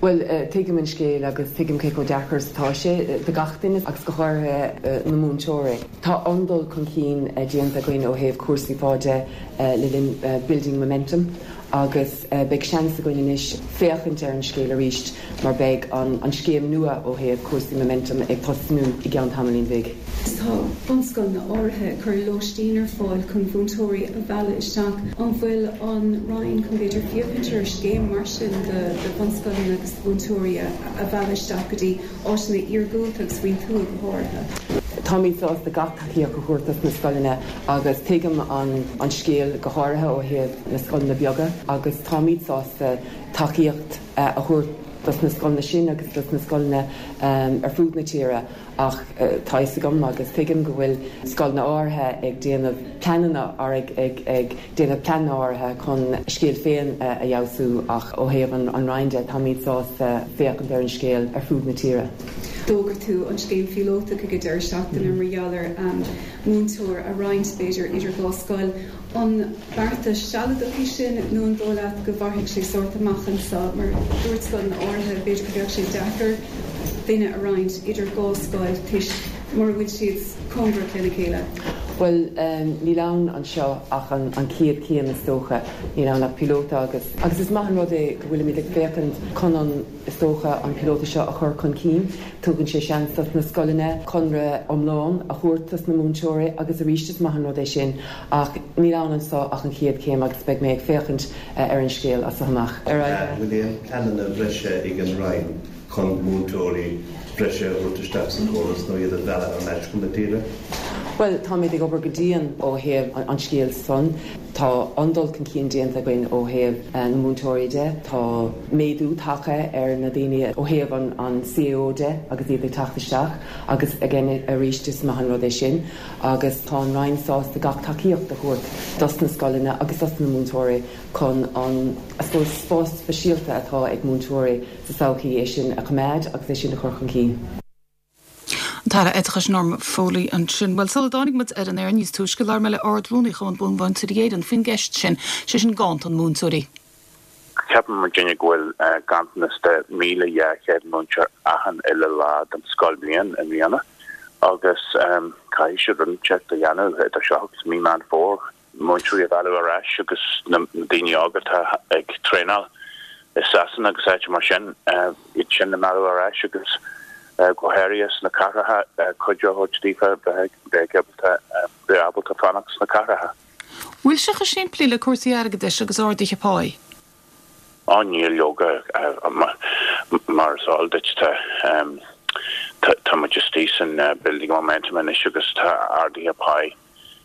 Bhuel, tuigim an scéal agus tuigim cé chomh deacair is atá sé do gach duine agus go háirithe na múinteoirí. Tá an-dul chun cinn déanta againn ó thaobh cúrsaí pá de le linn Building Momentum agus beidh seans againn anois féachaint ar an scéal arís mar beidh an scéim nua ó thaobh cúrsaí Momentum ag tosnú i gceann tamaillín bhig. Tá bunscoileanna áirithe ag cur lóistín ar fáil chun mhúinteoirí a mhealladh isteach. An bhfuil an Roinn chun b'fhéidir féachaint ar scéim mar sin do bhunscoileanna agus do mhúinteoirí a mhealladh isteach go dtí áiteanna iargúlta agus faoin tuath go háirithe? Táimid sásta gach tacaíocht a thabhairt dos na scoileanna agus tuigim an scéal go háirithe ó thaobh na scoileanna beaga agus táimid sásta tacaíocht a thabhairt dos na scoileanna sin agus dos na scoileanna ar fud na tíre ach tá fhios agam agus tuigim go bhfuil scoileanna áirithe ag déanamh pleananna ag ag déanamh pleananna áirithe chun a scéal féin a fheabhsú ach ó thaobh an Roinn de táimid sásta féachaint ar an scéal ar fud na tíre. D'fhógair tú an scéim phíolótach ag an deireadh seachtaine mar gheall ar mhúinteoir a roinnt b'fhéidir idir dhá scoil. An beartas sealadach é sin nó an dóigh leat go mhairfidh sé sórt amach anseo? Mar dúirt scoileanna áirithe, b'fhéidir go mbeadh sé deacair duine a roinnt idir dhá scoil toisc mura bhfuil siad cóngarach lena chéile. Bhuel, níl ann anseo ach an chéad chéim is dócha. Níl ann ach píolóta agus agus is maith an rud é go bhfuilimid ag féachaint chun an, is dócha, an píolóta seo a chur chun cinn. Tugann sé seans dos na scoileanna conradh iomlán a thabhairt dos na múinteoirí agus arís is maith an rud é sin ach níl ann anso ach an chéad chéim agus beidh mé ag féachaint ar an scéal as so amach. Ar aghaidh. An bhfuil aon pleananna breise ag an Roinn? Chun múinteoirí breise a thabhairt isteach sa chóras nó iad a mhealladh thar n-ais chun na tíre? Bhuel, táimid ag obair go dian ó thaobh an scéil san. Tá an-dul chun cinn déanta againn ó thaobh na múinteoirí de. Tá méadú tagtha ar na daoine ó thaobh an CAO de agus iad ag teacht isteach agus again arís is maith an rud é sin agus tá an Roinn sásta gach tacaíocht a thabhairt dos na scoileanna agus dos na múinteoirí chun an, I suppose, spás speisialta atá ag múinteoirí sa tsochaí, é sin a choimeád agus é sin a chur chun cinn. An tAire Oideachais Norma Foley ansin. Bhuel, sula dtáinig muid ar an aer níos túisce, labhair mé le Ard-Rúnaí Chumann Bunmhúinteoirí Éireann faoin gceist sin, sé sin ganntan múinteoirí. Ceapann muidinne go bhfuil ganntanas de 1,200 múinteoir achan uile lá den scoilbhliain i mbliana agus caithfidh siad rud inteacht a dhéanamh idir seo agus mí Meán Fómhair. múinteoirí a mhealladh ar ais agus na daoine óga atá ag traenáil i Sasana agus áiteanna mar sin, iad sin a mhealladh ar ais agus go háirithe sna cathracha, cuidiú a thabhairt daofa bheith ábalta, bheith ábalta fanacht sna cathracha. Bhfuil sé chomh simplí le cúrsaí airgeadais agus arduithe páí? Á níl leoga, mar is eol duit tá tá muid istigh san building momentum anois agus tá arduithe páí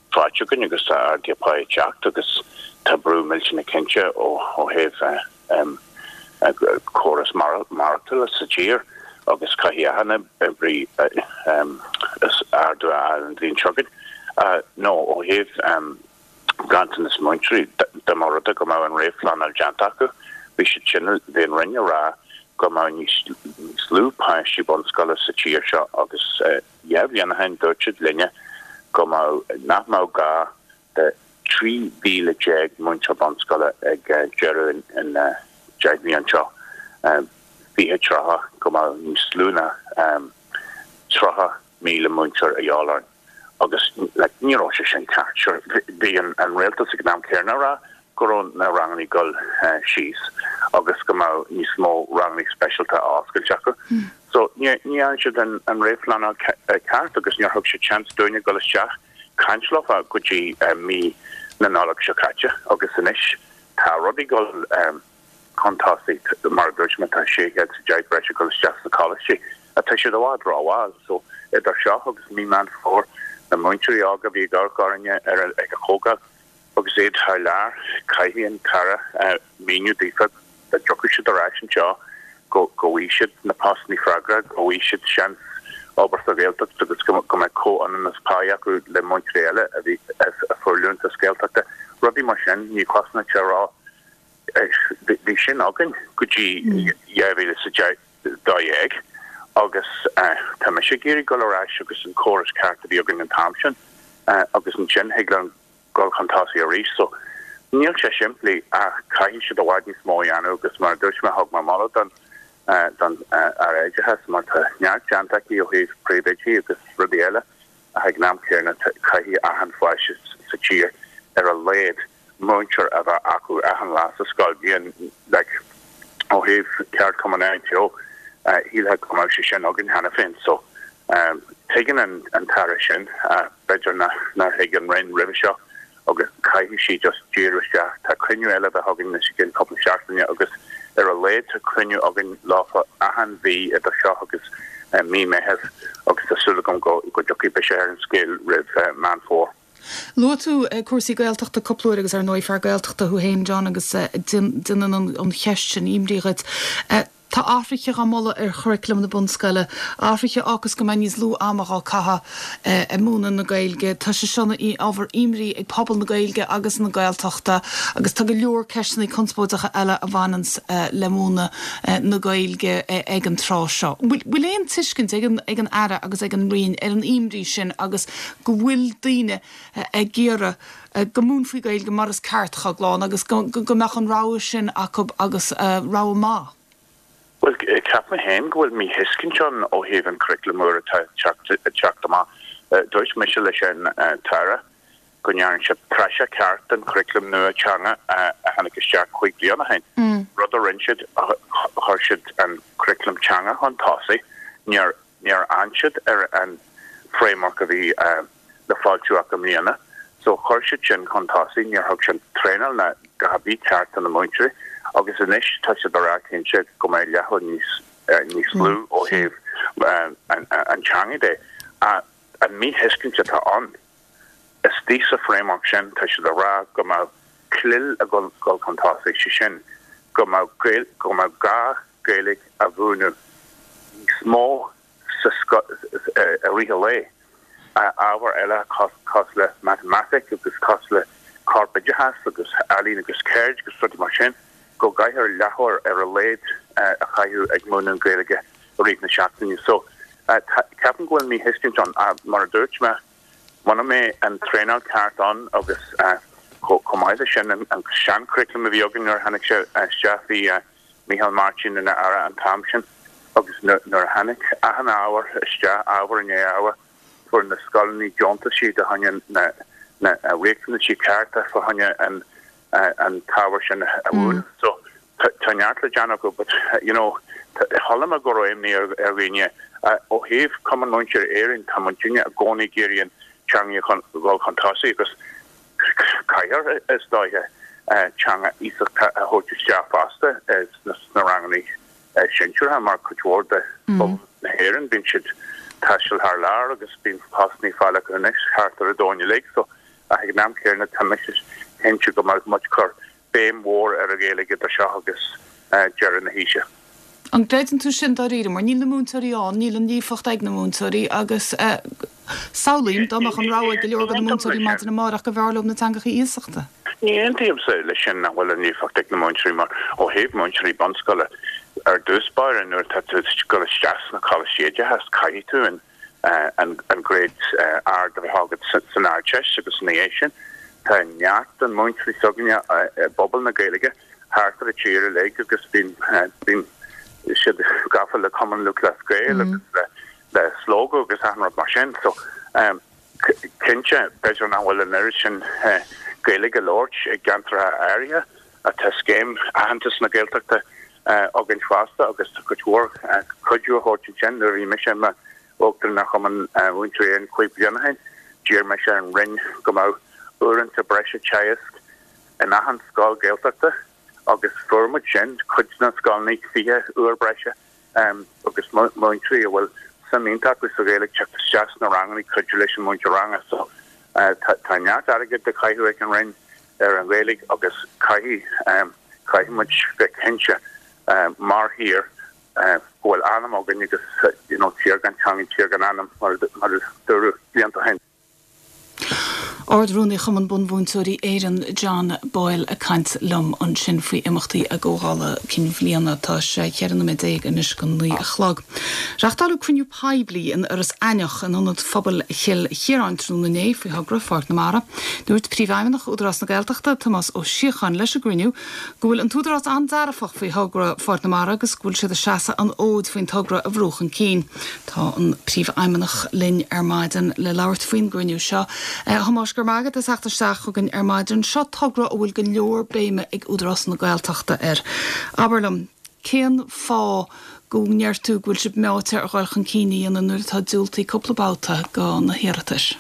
faighte againn agus tá arduithe páí ag teacht agus tá brú millteanach cinnte ó thaobh córas maireachtála sa tír agus caithfidh achan oibrí ardú a fháil an bhliain seo chugainn. Nó ó thaobh ganntanas múinteoirí, dá mba rud é go mbeadh an réamhphleanáil déanta acu, bhí siad sin, bhí an Roinn ag rá go mbeadh níos lú páistí bunscoile sa tír seo agus 2 bhliain ó shin dúirt siad linne go mbeadh, nach mbeadh gá de 13,000 múinteoir bunscoile ag deireadh an 10 mbliain seo, 2030, go mbeadh níos lú ná 30,000 múinteoir a dhíobháil orainn. Agus like ní raibh sé sin ceart. Sure bhí an an rialtas ag an am céanna ag rá go raibh na rangannaí ag dul síos agus go mbeadh níos mó rangannaí speisialta á oscailt acu. So ní ní dhearna siad an an réamhphleanáil ceart agus níor thug siad seans dúinne dul isteach caint leofa go dtí mí na Nollag seo caite agus anois tá rudaí ag dul chun tosaigh. Mar a dúirt mé, tá 610 breise ag dul isteach sna coláistí ach tá siad i bhfad rómhall. So, idir seo agus mí Meán Fómhair, na múinteoirí óga a bhí ag amharc orainne ar ag an chomhdháil agus iad thar lear, caithfidh an tAire míniú daofa dá dtiocfadh siad ar ais anseo go bhfaighidh siad na postanna freagra, go bhfaighidh siad seans obair sa Ghaeltacht agus go mbeidh comhionannas páí acu le múinteoirí eile a bhí a fuair liúntas Gaeltachta. Rudaí mar sin, ní chosnaíonn sé a rá Bhí sin againn go dtí 2012 agus tá mise ag iarraidh dul ar ais agus an córas ceart a bhí againn an t-am sin agus ansin thig linn dul chun tosaigh arís. So níl sé simplí ach caithfidh siad i bhfad níos mó a dhéanamh agus mar a dúirt mé thug mé moladh don don Aire Oideachais mar tá neart déanta aici ó thaobh príomhoidí agus rudaí eile ach ag an am céanna caithfidh achan pháiste sa tír ar a laghad múinteoir a bheith acu achan lá sa scoil. Bíonn, like, ó thaobh ceardchumann ITO, shílfeá go mbeadh sé sin againn cheana féin. So, tuigeann an an tAire sin, b'fhéidir nár thuig an Roinn roimhe seo agus caithfidh sí just díriú isteach. Tá cruinniú eile a bheith againn anois i gcionn cúpla seachtaine agus ar a laghad tá cruinniú againn leofa achan mhí idir seo agus mí Meitheamh agus tá súil agam go go dtiocfaidh biseach ar an scéal roimh Meán Fómhair. Luaigh tú cúrsaí Gaeltachta cúpla uair agus ar ndóigh fear Gaeltachta thú féin John agus déanann an cheist sin imní dhuit. Tá athruithe á moladh ar churaclam na bunscoile, athruithe a fhágfas go mbeidh níos lú ama á caitheamh ag múineadh na Gaeilge. Tá sé seo ina ábhar imní ag pobal na Gaeilge agus na Gaeltachta agus tá go leor ceisteanna conspóideacha eile a bhaineanns le múineadh na Gaeilge ag an tráth seo. Bhfuil aon tuiscint ag an Aire agus ag an Roinn ar an imní sin agus go bhfuil daoine ag iarraidh go múinfí Gaeilge mar is ceart chomh glan agus go mbeadh an rogha sin acu agus rogha maith. Bhuel, ceapaim féin go bhfuil míthuiscint ann ó thaobh an churaclaim úr atá ag teacht amach. Dúirt mise leis an tAire go ndearna sé praiseach ceart den churaclam nua teanga a tháinig isteach chúig bliana ó shin. Rud a rinne siad, chuir siad an curaclam teanga chun tosaigh. Níor Níor fhan siad ar an framework a bhí le foilsiú acu i mbliana so chuir siad sin chun tosaigh, níor thug siad traenáil ná a dhath ar bith ceart do na múinteoirí agus anois tá siad ag rá cinnte go mbeidh leathuair níos. níos lú ó thaobh an teanga de. An míthuiscint atá ann, istigh sa framework sin, tá siad ag rá go mbeadh CLIL ag dul chun tosaigh, sé sin, go mbeadh go mbeadh gá Gaeilge a mhúineadh níos mó sa i rith an lae. Ábhair eile cosúil le matamaitic agus cosúil le corpoideachas agus ealaín agus ceird agus rudaí mar sin, go gcaithfear leathuair ar a laghad a chaitheamh ag múineadh an Ghaeilge i rith na seachtaine. So, ceapaim go bhfuil míthuiscint ann. Mar a dúirt mé, muna mbeidh an traenáil ceart ann agus chomh maith leis sin, an sean-churriculum a bhí againn nuair a tháinig sé isteach, bhí Micheál Martin ina Aire an t-am sin agus nuair a tháinig achan ábhar isteach, ábhar i ndiaidh ábhair, fuair na scoileanna deontaisí do choinne na riachtanaisí cearta fá choinne an t-ábhar sin a mhúineadh. So tá neart le déanamh acu but you know chuala mé go raibh imní ar dhaoine. Ó thaobh Cumann Múinteoirí Éireann tá muidinne i gcónaí ag iarraidh an teanga a dhul chun tosaigh agus caithfear is dóiche teanga iasachta a thabhairt isteach fosta sna ranganna sinsearacha mar cuid mhór de phobal na hÉireann bíonn siad taisteal thar lear agus bíonn postanna fáil acu anois thart ar an domhan uilig so ach ag an am céanna tá mise cinnte go mbeidh muid cur béim mhór ar an Ghaeilge idir seo agus deireadh na haoise. An gcreideann tú sin dáiríre? Mar níl na múinteoirí ann, níl an líofacht ag na múinteoirí agus samhlaím dá mbeadh an rogha ag go leor de na múinteoirí maidin amárach go mb'fhearr leo na teangacha iasachta. Ní aontaímse leis sin nach bhfuil an líofacht ag na múinteoirí mar ó thaobh múinteoirí bunscoile ar dtús báire nuair atá tú ag dul isteach sna coláistí oideachais caithfidh tú an an gréad ard a bheith agat san Ardteist agus ina dhiaidh sin tá neart den múinteoirí s'againne i bpobal na Gaeilge thart ar an tír uilig agus bíonn bíonn siad gafa le Cumann Lúthchleas Gael agus le le Slógadh agus achan rud mar sin so cinnte b'fhéidir nach bhfuil an oiread sin Gaeilge á labhairt i gceantracha áirithe ach tá scéim aitheantas na Gaeltachta againn fosta agus tá cuid mhór cuidiú á thabhairt ansin. Nuair a bhí mise i m'Uachtarán ar Chumann Mhúinteoirí Éireann cúig bliana ó shin, d'iarr mise ar an Roinn go mbeadh uaireanta breise teagaisc in achan scoil Ghaeltachta agus fuair muid sin, cuid de na scoileanna 20 uair breise. agus múinteoirí a bhfuil suim iontach acu sa Ghaeilge teacht isteach sna ranganna cuidiú leis an múinteoir ranga. So tá neart airgid á chaitheamh ag an Roinn ar an Ghaeilge agus caithfidh caithfidh muid bheith cinnte mar thír go bhfuil anam againn agus you know tír gan teanga tír gan anam mar a dúradh blianta ó shin. Ard-Rúnaí Chumann Bunmhúinteoirí Éireann, John Boyle ag caint liom ansin faoi imeachtaí a gcomhdhála cinn bhliana. Tá sé 14 nóiméad anois go 9 a chlog. Reachtáileadh cruinniú poiblí in Iorras Aithneach in Ionad Phobail Chill Chiaráin tráthnóna inné faoi thogra Pháirc na Mara. Dúirt Príomhfheidhmeannach Údarás na Gaeltachta, Tomás Ó Síocháin leis an gcruinniú go bhfuil an tÚdarás an-dearfach faoi thogra Pháirc na Mara agus go bhfuil siad ag seasamh an fhóid faoin togra a bhrú chun cinn. Tá an Príomhfheidhmeannach linn ar maidin le labhairt faoin gcruinniú seo. A Thomáis, go raibh maith agat as theacht isteach chugainn ar maidin. Seo togra a bhfuil go leor béime ag Údarás na Gaeltachta air. Abair liom, cén fáth go ndeir tú go bhfuil sibh meáite ar dhul chun cinn a dhéanamh nuair atá diúltaithe cúpla babhta go na hiarratais?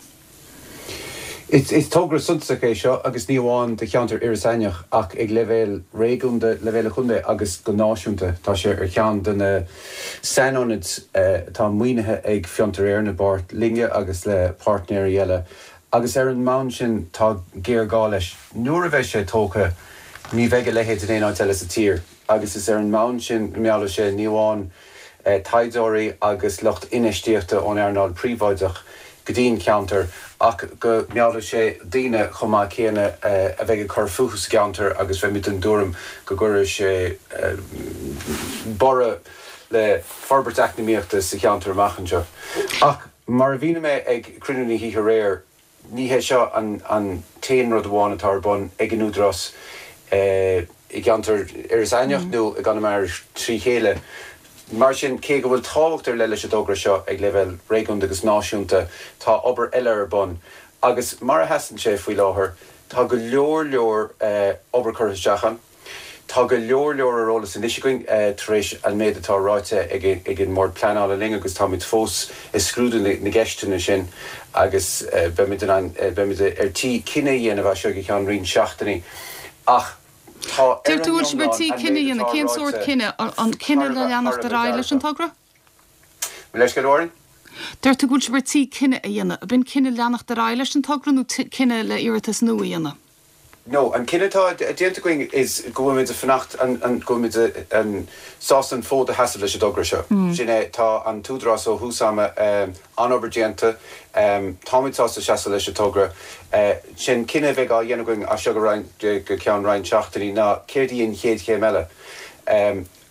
Is togra suntasach é seo agus ní amháin do cheantar Iorras Aithneach ach ag leibhéal réigiúnda, leibhéal an chontae agus go náisiúnta. Tá sé ar cheann de na sainionaid atá maoinithe ag Fiontar Éireann i bpáirt linne agus le páirtnéirí eile agus ar an mbonn sin tá géarghá leis. Nuair a bheidh sé tógtha ní bheidh a leithéid in aon áit eile sa tír agus is ar an mbonn sin go meallfaidh sé ní amháin taighdeoirí agus lucht infheistíochta ón earnáil phríobháideach go dtí an ceantar ach go meallfaidh sé daoine chomh maith céanna a bheidh ag cur fúthu sa gceantar agus beimid den tuairim go gcuirfidh sé borradh le forbairt eacnamaíochta sa cheantar amach anseo. Ach mar a mhínigh mé ag cruinniú na hoíche aréir, Ní hé seo an t-aon rud amháin atá ar bun ag an Údarás i gceantar Iorras Aithneach nó i gConamara trí chéile. Mar sin, cé go bhfuil tábhacht ar leith leis an dtogra seo ag leibhéal réigiúnda agus náisiúnta, tá obair eile ar bun. Agus mar a sheasann sé faoi láthair, tá go leor leor obair curtha isteach ann. Tá go leor leor ar eolas anois againn tar éis an méid atá ráite ag an mBord Pleanála linn agus táimid fós ag scrúdú na gceisteanna sin agus beimid in ann, beimid ar tí cinneadh a dhéanamh as seo go ceann roinnt seachtainí. Ach. Tá, ar Deir an tú go bhfuil sibh ar iomlán, tí an cinneadh a méid dhéanamh. atá Cén sórt ráite cinneadh? An thar cinneadh a le bheith, thar leanacht a ar bheith aghaidh leis an dearfach. togra? Mo leithscéal, a Mháirín? Deir tú go bhfuil sibh ar tí cinneadh a dhéanamh. Ab in cinneadh leanacht ar aghaidh leis an togra nó cinneadh le iarratas nua a dhéanamh? No, an cinneadh atá déanta againn is go bhfuilimid ag fanacht, go bhfuilimid sásta an fód a sheasamh leis an dtogra seo. Sin é, tá an tÚdarás ó thús ama, an-obair déanta, táimid sásta seasamh leis an togra. Sin cinneadh a bheidh á dhéanamh againn as seo go go ceann roinnt seachtainí ná céard í an chéad chéim eile.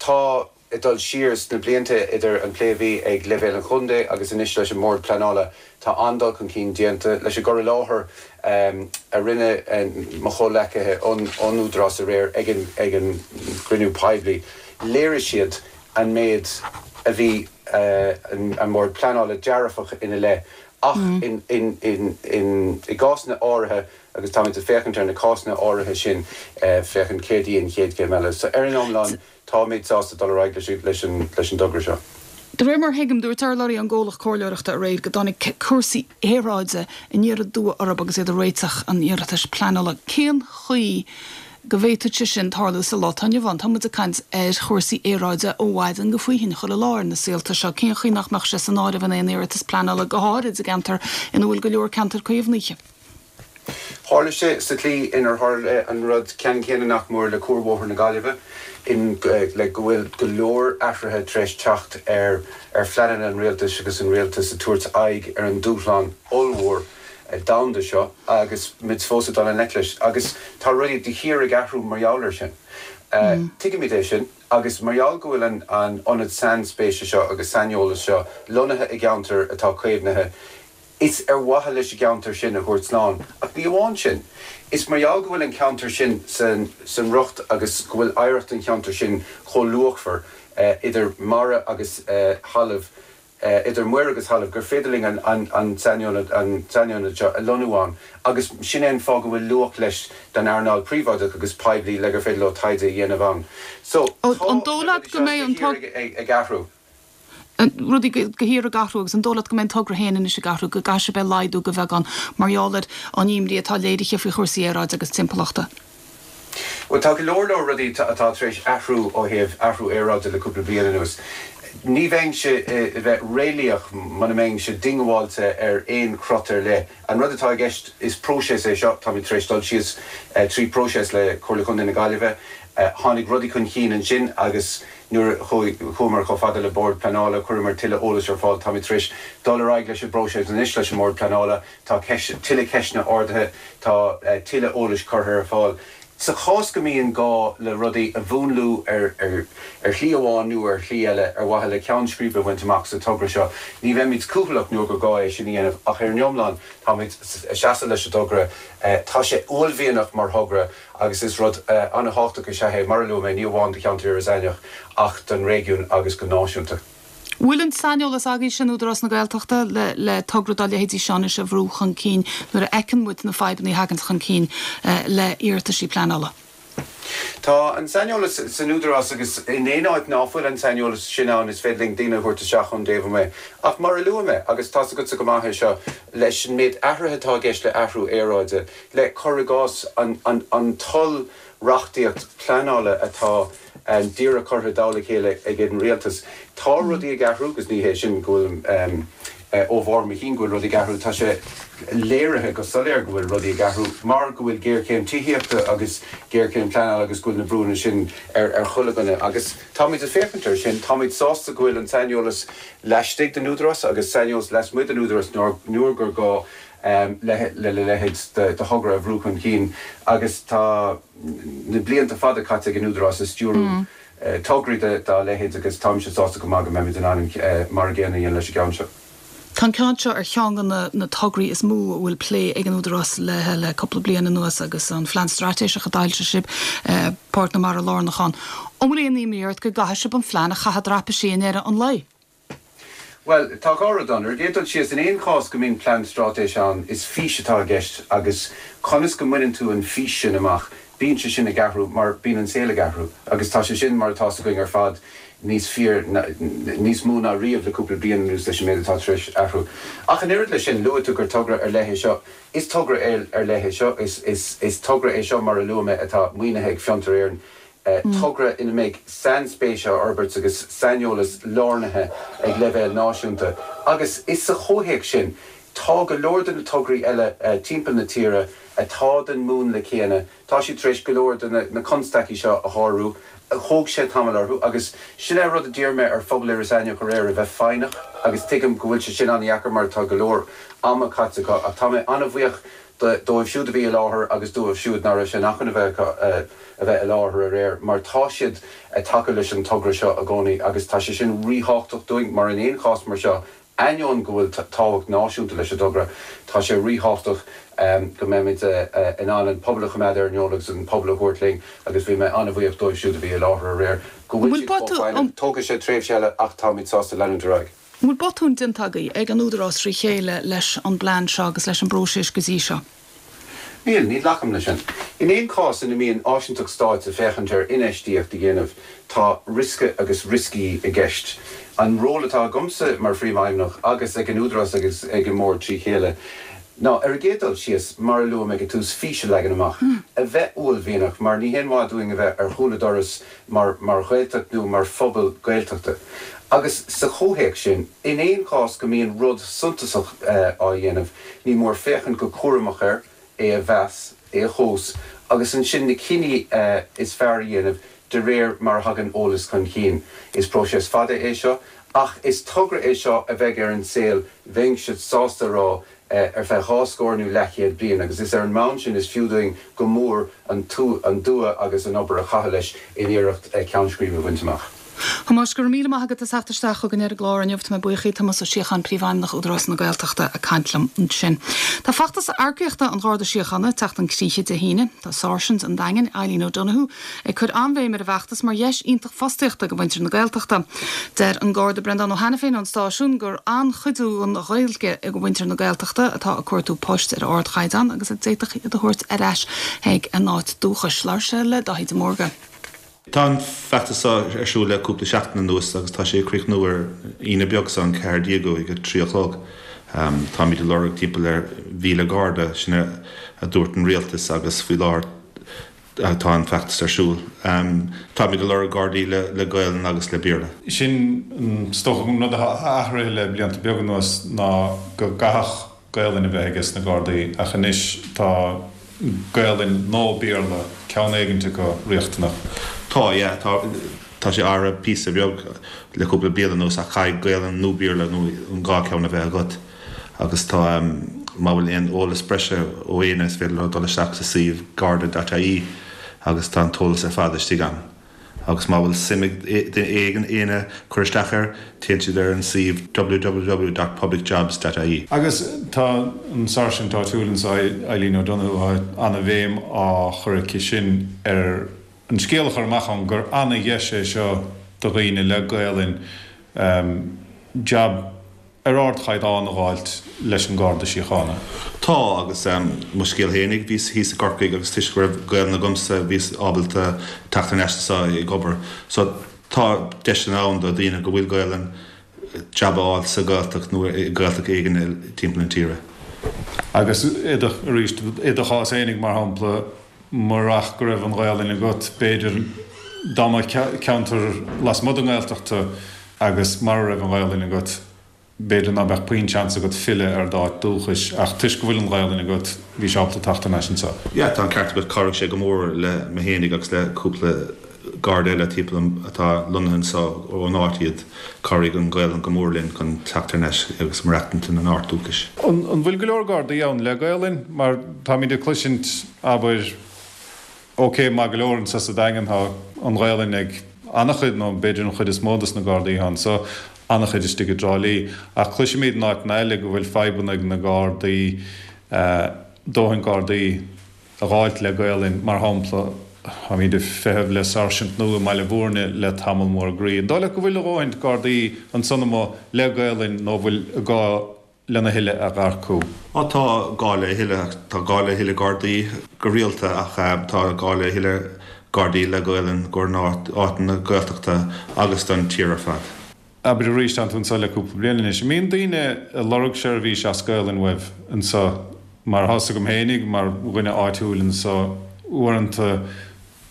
Tá. Ag dul siar sna blianta idir an plé a bhí ag leibhéal an chontae agus anois leis an mBord Pleanála, tá an-dul chun cinn déanta. Leis an gcur i láthair a rinne mo chomhleacaithe ón Údarás aréir ag an gcruinniú poiblí, léirigh siad an méid a bhí an Bord Pleanála dearfach ina leith ach i gcásanna áirithe, agus táimid ag féachaint ar na cásanna áirithe sin, féachaint céard í an chéad chéim eile. So ar an iomlán, Táimid sásta dul ar aghaidh leis an dtogra seo. De réir mar a thuigim, dúirt urlabhraí ón gcomhlacht comhairleoireachta aréir go dtáinig cúrsaí aeráide aniar aduaidh orthu agus iad ag réiteach an iarratais pleanála. Cén chaoi go bhféadfadh sé sin tarlú sa lá atá inniu ann? Tá muid ag caint ar chúrsaí aeráide ó mhaidin go faoithin chuile lá ar na saolta seo. Cén chaoi nach mbeadh sé san áireamh in aon iarratas pleanála, go háirid i gceantar ina bhfuil go leor ceantar caomhnaithe? Tharla sé sa tslí inar tharla an rud ceannann céanna nach mór le Cuarbhóthar na Gaillimhe, in le go bhfuil go leor athruithe tar éis teacht ar ar phleananna an rialtais agus an rialtas ag tabhairt aghaidh ar an dúshlán ollmhór domhanda seo agus muid fós ag dul i ngleic leis agus tá rudaí de shíor ag athrú mar gheall air sin. Tuigimid é sin agus mar gheall go bhfuil an an ionad sainspéise seo agus saineolais seo lonnaithe i gceantar atá caomhnaithe, Is ar mhaithe leis an gceantar sin a thabhairt slán, ach ní amháin sin. Is mar gheall go bhfuil an ceantar sin san riocht agus go bhfuil oidhreacht an cheantair sin chomh luachmhar, idir mara agus thalamh, idir muir agus thalamh, gur féidir linn an sainionad seo a lonnú ann agus sin é an fáth go bhfuil luach leis don earnáil príobháideach agus poiblí le gur féidir leo taighde a dhéanamh ann. So, tá An dóigh na leat rudaí go seo mbeidh de an shíor ag athrú. rudaí de shíor ag athrú agus an dóigh leat go mbeidh an togra féin anois ag athrú, go gcaithfidh sibh é a laghdú de bheagán mar gheall ar an imní atá léirithe faoi chúrsaí aeráide agus timpeallachta? Bhuel, tá go leor leor rudaí atá tar éis athrú ó thaobh athrú aeráide le cúpla bliain anuas. Ní bheinnse a bheith réalaíoch muna mbeinnse diongbháilte ar aon chrot ar leith. An rud atá i gceist, is próiseas é seo, táimid tar éis dul síos trí próiseas le Comhairle Chontae na Gaillimhe. Tháinig rudaí chun cinn ansin agus Nuair a chuamar chomh fada le Bord Pleanála, chuireamar tuilleadh eolais ar fáil. Táimid tar éis dul ar aghaidh leis an bpróiseas anois leis an mBord Pleanála. Tá tuilleadh ceisteanna ardaithe, tá tuilleadh eolais curtha ar fáil. Sa chás go mbíonn gá le rudaí a mhúnlú ar shlí amháin nó ar shlí eile ar mhaithe le ceann scríbe a bhaint amach sa togra seo, ní bheimid cúthaileach nuair gur gá é sin a dhéanamh ach ar an iomlán táimid ag seasamh leis an dtogra. Tá sé uaillmhianach mar thogra. agus is rud an-thábhachtach is ea é, mar a luaigh mé, ní amháin do cheantar Iorras Aithneach ach don réigiún agus go náisiúnta. Bhfuil an saineolas agaibhse in Údarás na Gaeltachta le togra dá leithéidí seo anois a bhrú chun cinn nuair a fheiceann muid na fadhbanna a thagann chun cinn le iarrataisí pleanála? Tá an saineolas san Údarás agus in aon áit ná fuil an saineolas sin ann is féidir linn daoine a thabhairt isteach ón dtaobh amuigh. Ach mar a luaigh mé, agus tá's agatsa go maith é seo, leis an méid athruithe atá i gceist le athrú aeráide, le, cuir i gcás, an t-oll-reachtaíocht pleanála atá díreach curtha i dtoll a chéile ag an rialtas. Tá rudaí ag athrú agus ní hé sin go bhfuilim ó bharr mo chinn go bhfuil rudaí ag athrú, tá sé léirithe go soiléir go bhfuil rudaí ag athrú mar go bhfuil géarchéim tithíochta agus géarchéim pleanála agus go bhfuil na brúnna sin ar chuile dhuine agus táimid ag féachaint air sin. Táimid sásta go bhfuil an saineolas laistigh den Údarás agus saineolas lasmuigh den Údarás nuair gur gá. le a leithéid de thogra a bhrú chun cinn agus tá na blianta fada caite ag an Údarás ag stiúrú tograí dá leithéid agus táimse sásta go maith go mbeimid in ann mar an gcéanna a dhéanamh leis an gceann seo. Tá an ceann seo ar cheann de na tograí is mó a bhfuil plé ag an Údarás léi le cúpla bliain anuas agus an Phlean Straitéiseach a d'fhoilsigh sibh, Páirc na Mara lárnach ann. An bhfuil aon imní ort go gcaithfidh sibh an phlean a chaitheamh traipisí i ndeireadh an lae? Bhuel, tá dhá rud ann. Ar an gcéad dul síos, in aon chás go mbíonn plean straitéise ann, is fís atá i gceist agus conas go mbaineann tú an fís sin amach. Bíonn sé sin ag athrú mar bíonn an saol ag athrú agus tá sé sin, mar atá 's againn ar fad, níos fíor, níos mó ná riamh le cúpla bliain anuas leis an méid atá tar éis athrú. Ach an oiread leis sin, luaigh tú gur togra ar leith é seo. Is togra ar leith é seo. Is togra é seo, mar a luaigh mé, atá maoinithe ag Fiontar Éireann, togra ina mbeidh sainspéis á fhorbairt agus saineolas lárnaithe ag leibhéal náisiúnta. Agus is sa chomhthéacs sin, tá go leor de na tograí eile timpeall na tíre atá den múnla céanna, tá siad tar éis go leor de na constaicí seo a shárú. Thóg sé tamall orthu agus sin é an rud a d'iarr mé ar phobal Iorras Aithneach aréir, a bheith foighneach agus tuigim go bhfuil sé sin an-dheacair mar tá go leor ama caite acu ach tá mé an-bhuíoch dóibh siúd a bhí i láthair agus dóibh siúd ná raibh sé in acmhainn a bheith acu a bheith i láthair aréir mar tá siad ag tacú leis an togra seo i gcónaí agus tá sé sin ríthábhachtach dúinn mar in aon chás mar seo ainneoin go bhfuil tábhacht náisiúnta leis an dtogra tá sé ríthábhachtach go mbeimid in ann an pobal a choimeád ar an eolas agus an pobal a thabhairt linn agus bhí mé an-bhuíoch dóibh siúd a bhí i láthair aréir go bhfuil siad chomh foighneach. Tógfaidh sé tréimhse eile ach táimid sásta leanúint ar aghaidh. An bhfuil botún déanta agaibh ag an Údarás trí chéile leis an bplean seo agus leis an bpróiseas go dtí seo? Níl, ní ghlacaim leis sin. In aon chás ina mbíonn áisinteacht stáit ag féachaint ar infheistíocht a dhéanamh, tá riosca agus rioscaí i gceist. An ról atá agamsa mar Phríomhfheidhmeannach agus ag an Údarás agus ag an mBord trí chéile ná, ar an gcéad dul síos, mar a luaigh mé ag an tús, fís a leagan amach, a bheith uaillmhianach, mar ní haon mhaith dúinn a bheith ar chúl an dorais mar mar Ghaeltacht nó mar phobal Gaeltachta. Agus sa chomhthéacs sin, in aon chás go mbíonn rud suntasach á dhéanamh, ní mór féachaint go cúramach air, é a mheas, é a thomhas agus ansin na cinní is fearr a dhéanamh de réir mar a thagann eolas chun cinn. Is próiseas fada é seo, ach is togra é seo a bheidh ar an saol, bheinnse sásta a rá, ar feadh dhá scór nó leathchéad bliain agus is ar an mbonn sin is fiú dúinn go mór an dua agus an obair a chaitheamh leis in iarracht ceann scríbe a bhaint amach. A Thomáis, go raibh míle maith agat as theacht isteach chugainn ar an gclár inniu. Tá mé buíoch. Tomás Ó Síocháin, Príomhfheidhmeannach Údarás na Gaeltachta ag caint liom ansin. Tá feachtas earcaíochta an Gharda Síochána ag teacht chun críche Dé hAoine. Tá Sáirsint an Daingin, Eileen O'Donoghue, ag cur an-bhéim ar an bhfeachtas mar dheis iontach fostaíochta do mhuintir na Gaeltachta. Deir an Garda Breandán Ó hAiniféin ón stáisiún gur an-chuidiú an Ghaeilge do mhuintir na Gaeltachta atá ag cuartú poist ar ardchaighdeán agus a d'fhéadfadh iad a thabhairt ar ais chuig a n-áit dúchais. Labhair sé le Dáithí de Mórdha. Tá an feachtas seo ar siúl le cúpla seachtain anuas agus tá sé ag críochnú ar Aoine beag seo, an 14ú, ag a 3 a chlog. Táimid ag lorg timpeall ar 1,000 Garda, sin a dúirt an Rialtas agus faoi láthair tá an feachtas ar siúl. Táimid ag lorg Gardaí le Gaelainn agus le Béarla. Sin, is dócha, an rud atá athraithe le blianta beaga anuas ná go gcaithfeadh Gaelainn a bheith ages na Gardaí ach anois tá Gaelainn nó Béarla, ceann éigint acu, riachtanach. Tá, yeah, tá, tá sé athraithe píosa beag le cúpla bliain anuas ach caithfidh Gaelainn nó Béarla nó an dhá ceann a bheith agat agus tá, má bhfuil aon eolas breise ó éinne is féidir leo dul isteach sa suíomh garda.ie agus tá an t-eolas ar fad istigh ann. Agus má bhfuil suim ag duine éigin éinne cur isteach air, téann siad ar an suíomh www dot publicjobs dot ie. Agus tá an Sáirsint áitiúil anseo, Eileen O'Donoghue, tá ana-bhéim á chur aici sin ar an scéal a chur amach ann gur ana-dheis é seo do dhaoine le Gaelainn jab ar ardchaighdeán a dh'fháilt leis an Garda Síochána. Tá, agus mo scéal fhéinig, bhíos thíos i gCorcaigh agus toisc go raibh Gaelainn agamsa bhíos ábalta teacht thar n-ais anseo ag obair. So tá deiseanna ann do daoine go bhfuil Gaelainn jab a fháil sa Ghaeltacht nó i Gaeltacht éigin timpeall na tíre. Agus i do, arís, i do chás fhéinig mar shampla, murach go raibh an Ghaelainn agat, b'fhéidir dá mba ceantar lasmuigh den nGaeltacht tú agus mara raibh an Ghaelainn agat, b'fhéidir ná beadh puinn seans agat filleadh ar d'áit dúchais ach toisc go bhfuil an Ghaelainn agat, bhís ábalta teacht thar n-ais anseo. Yeah, tá an ceart agat, chabhraigh sé go mór le mé fhéinig agus le cúpla Garda eile timpeall orm atá lonnaithe anseo ón áit iad, chabhraigh an Ghaelainn go mór linn chun teacht thar n-ais agus maireachtaint ina n-áit dúchais. An bhfuil go leor Gardaí ann le Gaelainn? Mar táimid ag cloisint, abair, ok, maith go leor anseo sa Daingean tá an Ghaelainn ag an-chuid nó b'fhéidir an chuid is mó dos na Gardaí atá anseo, an-chuid istigh i dTrá Lí, ach cloisimid in áiteanna eile go bhfuil fadhbanna ag na Gardaí, dóthain Gardaí a dh'fháilt le Gaelainn, mar shampla, táimid ag feitheamh le sáirsint nua i mBaile Bhúirne le tamall mór groí. An dóigh leat go bhfuil a dhóthaint Gardaí ansan amuigh le Gaelainn nó bhfuil gá. lena thuilleadh a dh'earcú? Á tá gá le thuilleadh, tá gá le thuilleadh Gardaí go rialta ach tá gá le thuilleadh Gardaí le Gaolainn i gcomhair na áiteanna Gaeltachta agus don tír ar fad. Abair arís, tánn tú anseo le cúpla bliain anois. An mbíonn daoine ag lorg seirbhís as Gaolainn uaibh anseo? Mar thá's agam fhéinig, mar dhuine áitiúil anseo, uaireanta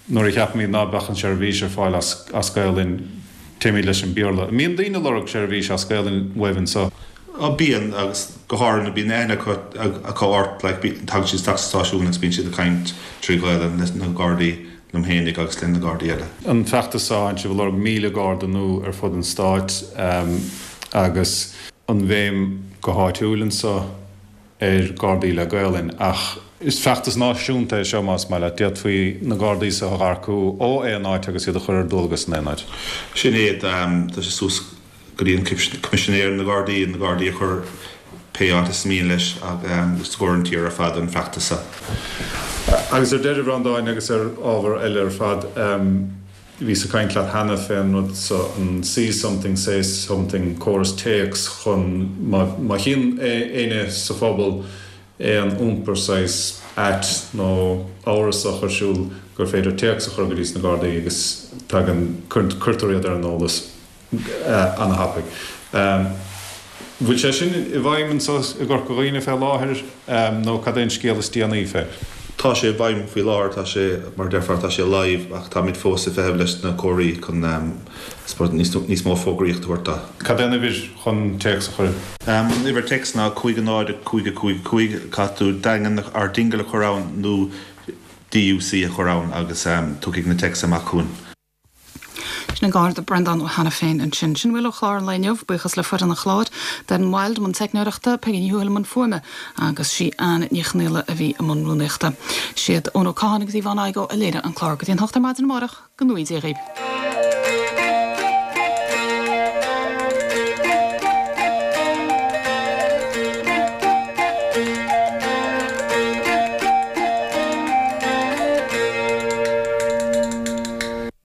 nuair a cheapaimid ná beadh an seirbhís ar fáil as Gaolainn, téimid leis an Bhéarla. An mbíonn daoine ag lorg seirbhís as Gaolainn uaibh anseo? Á, bíonn, agus go háirithe nuair bíonn aithne acu acu ort, like, tagann siad isteach sa stáisiún agus bíonn siad ag caint trí Ghaolainn leis na Gardaí. liom fhéinig agus le na Gardaí eile. An feachtas seo, tánn sibh ag lorg 1,000 Garda nua ar fud an stáit agus an bhéim go háitiúil anseo ar Gardaí le Gaolainn ach is feachtas náisiúnta é seo más maith leat. D'fhéadfaí na Gardaí seo a dh'earcú ó aon áit agus iad a chur ar dualgas in aon áit. Sin é, tá sé suas go dtí an Coimisinéir na Gardaí, na Gardaí a chur pé áit is mian leis agus i gcomhair an tír ar fad an feachtas seo. Agus ar deireadh, a Bhreandáin, agus ar ábhar eile ar fad, bhíos ag caint leat cheana fén rud so, an See Something, Say Something, córas téacs chun má chíonn éinne sa phobal aon iompar saghas ait nó amhrasach ar siúl gur féidir téacs a chur go dtí sna Gardaí agus tagann, cuirtear iad ar an eolas. ana-thapaidh. Bhfuil sé sin i bhfeidhm anso i gCorca Dhuibhne fé láthair nó cad é an scéal is déanaí fé? Tá sé i bhfeidhm faoi láthair, tá sé, mar a déarfá, tá sé live ach táimid fós ag feitheamh leis na comharthaí chun suppose níos mó fógraíocht a thabhairt dó. Cad é an uimhir chun téacs a chur? An uimhir téacs ná 5 0 5 5 5, caithfidh tú Daingean or Dingle a chur ann nó DUC a chur ann agus tiocfaidh na téacs amach chugainn. Sin an Garda Breandán Ó hAiniféin ansin. Sin a bhfuil ó chlár an lae inniu. Buíochas le foireann an chláir, Darren Wilde i mbun teicneoireachta, Peigí Ní Thuathail i mbun fuaime agus sí Anne Ní Chonghaile a bhí i mbun rúnaíochta. Siad Eoin Ó Catháin agus Yvonne Igoe a léirigh an clár. Go dtí an hocht ar maidin amárach, go ngnóthaí Dia dhaoibh.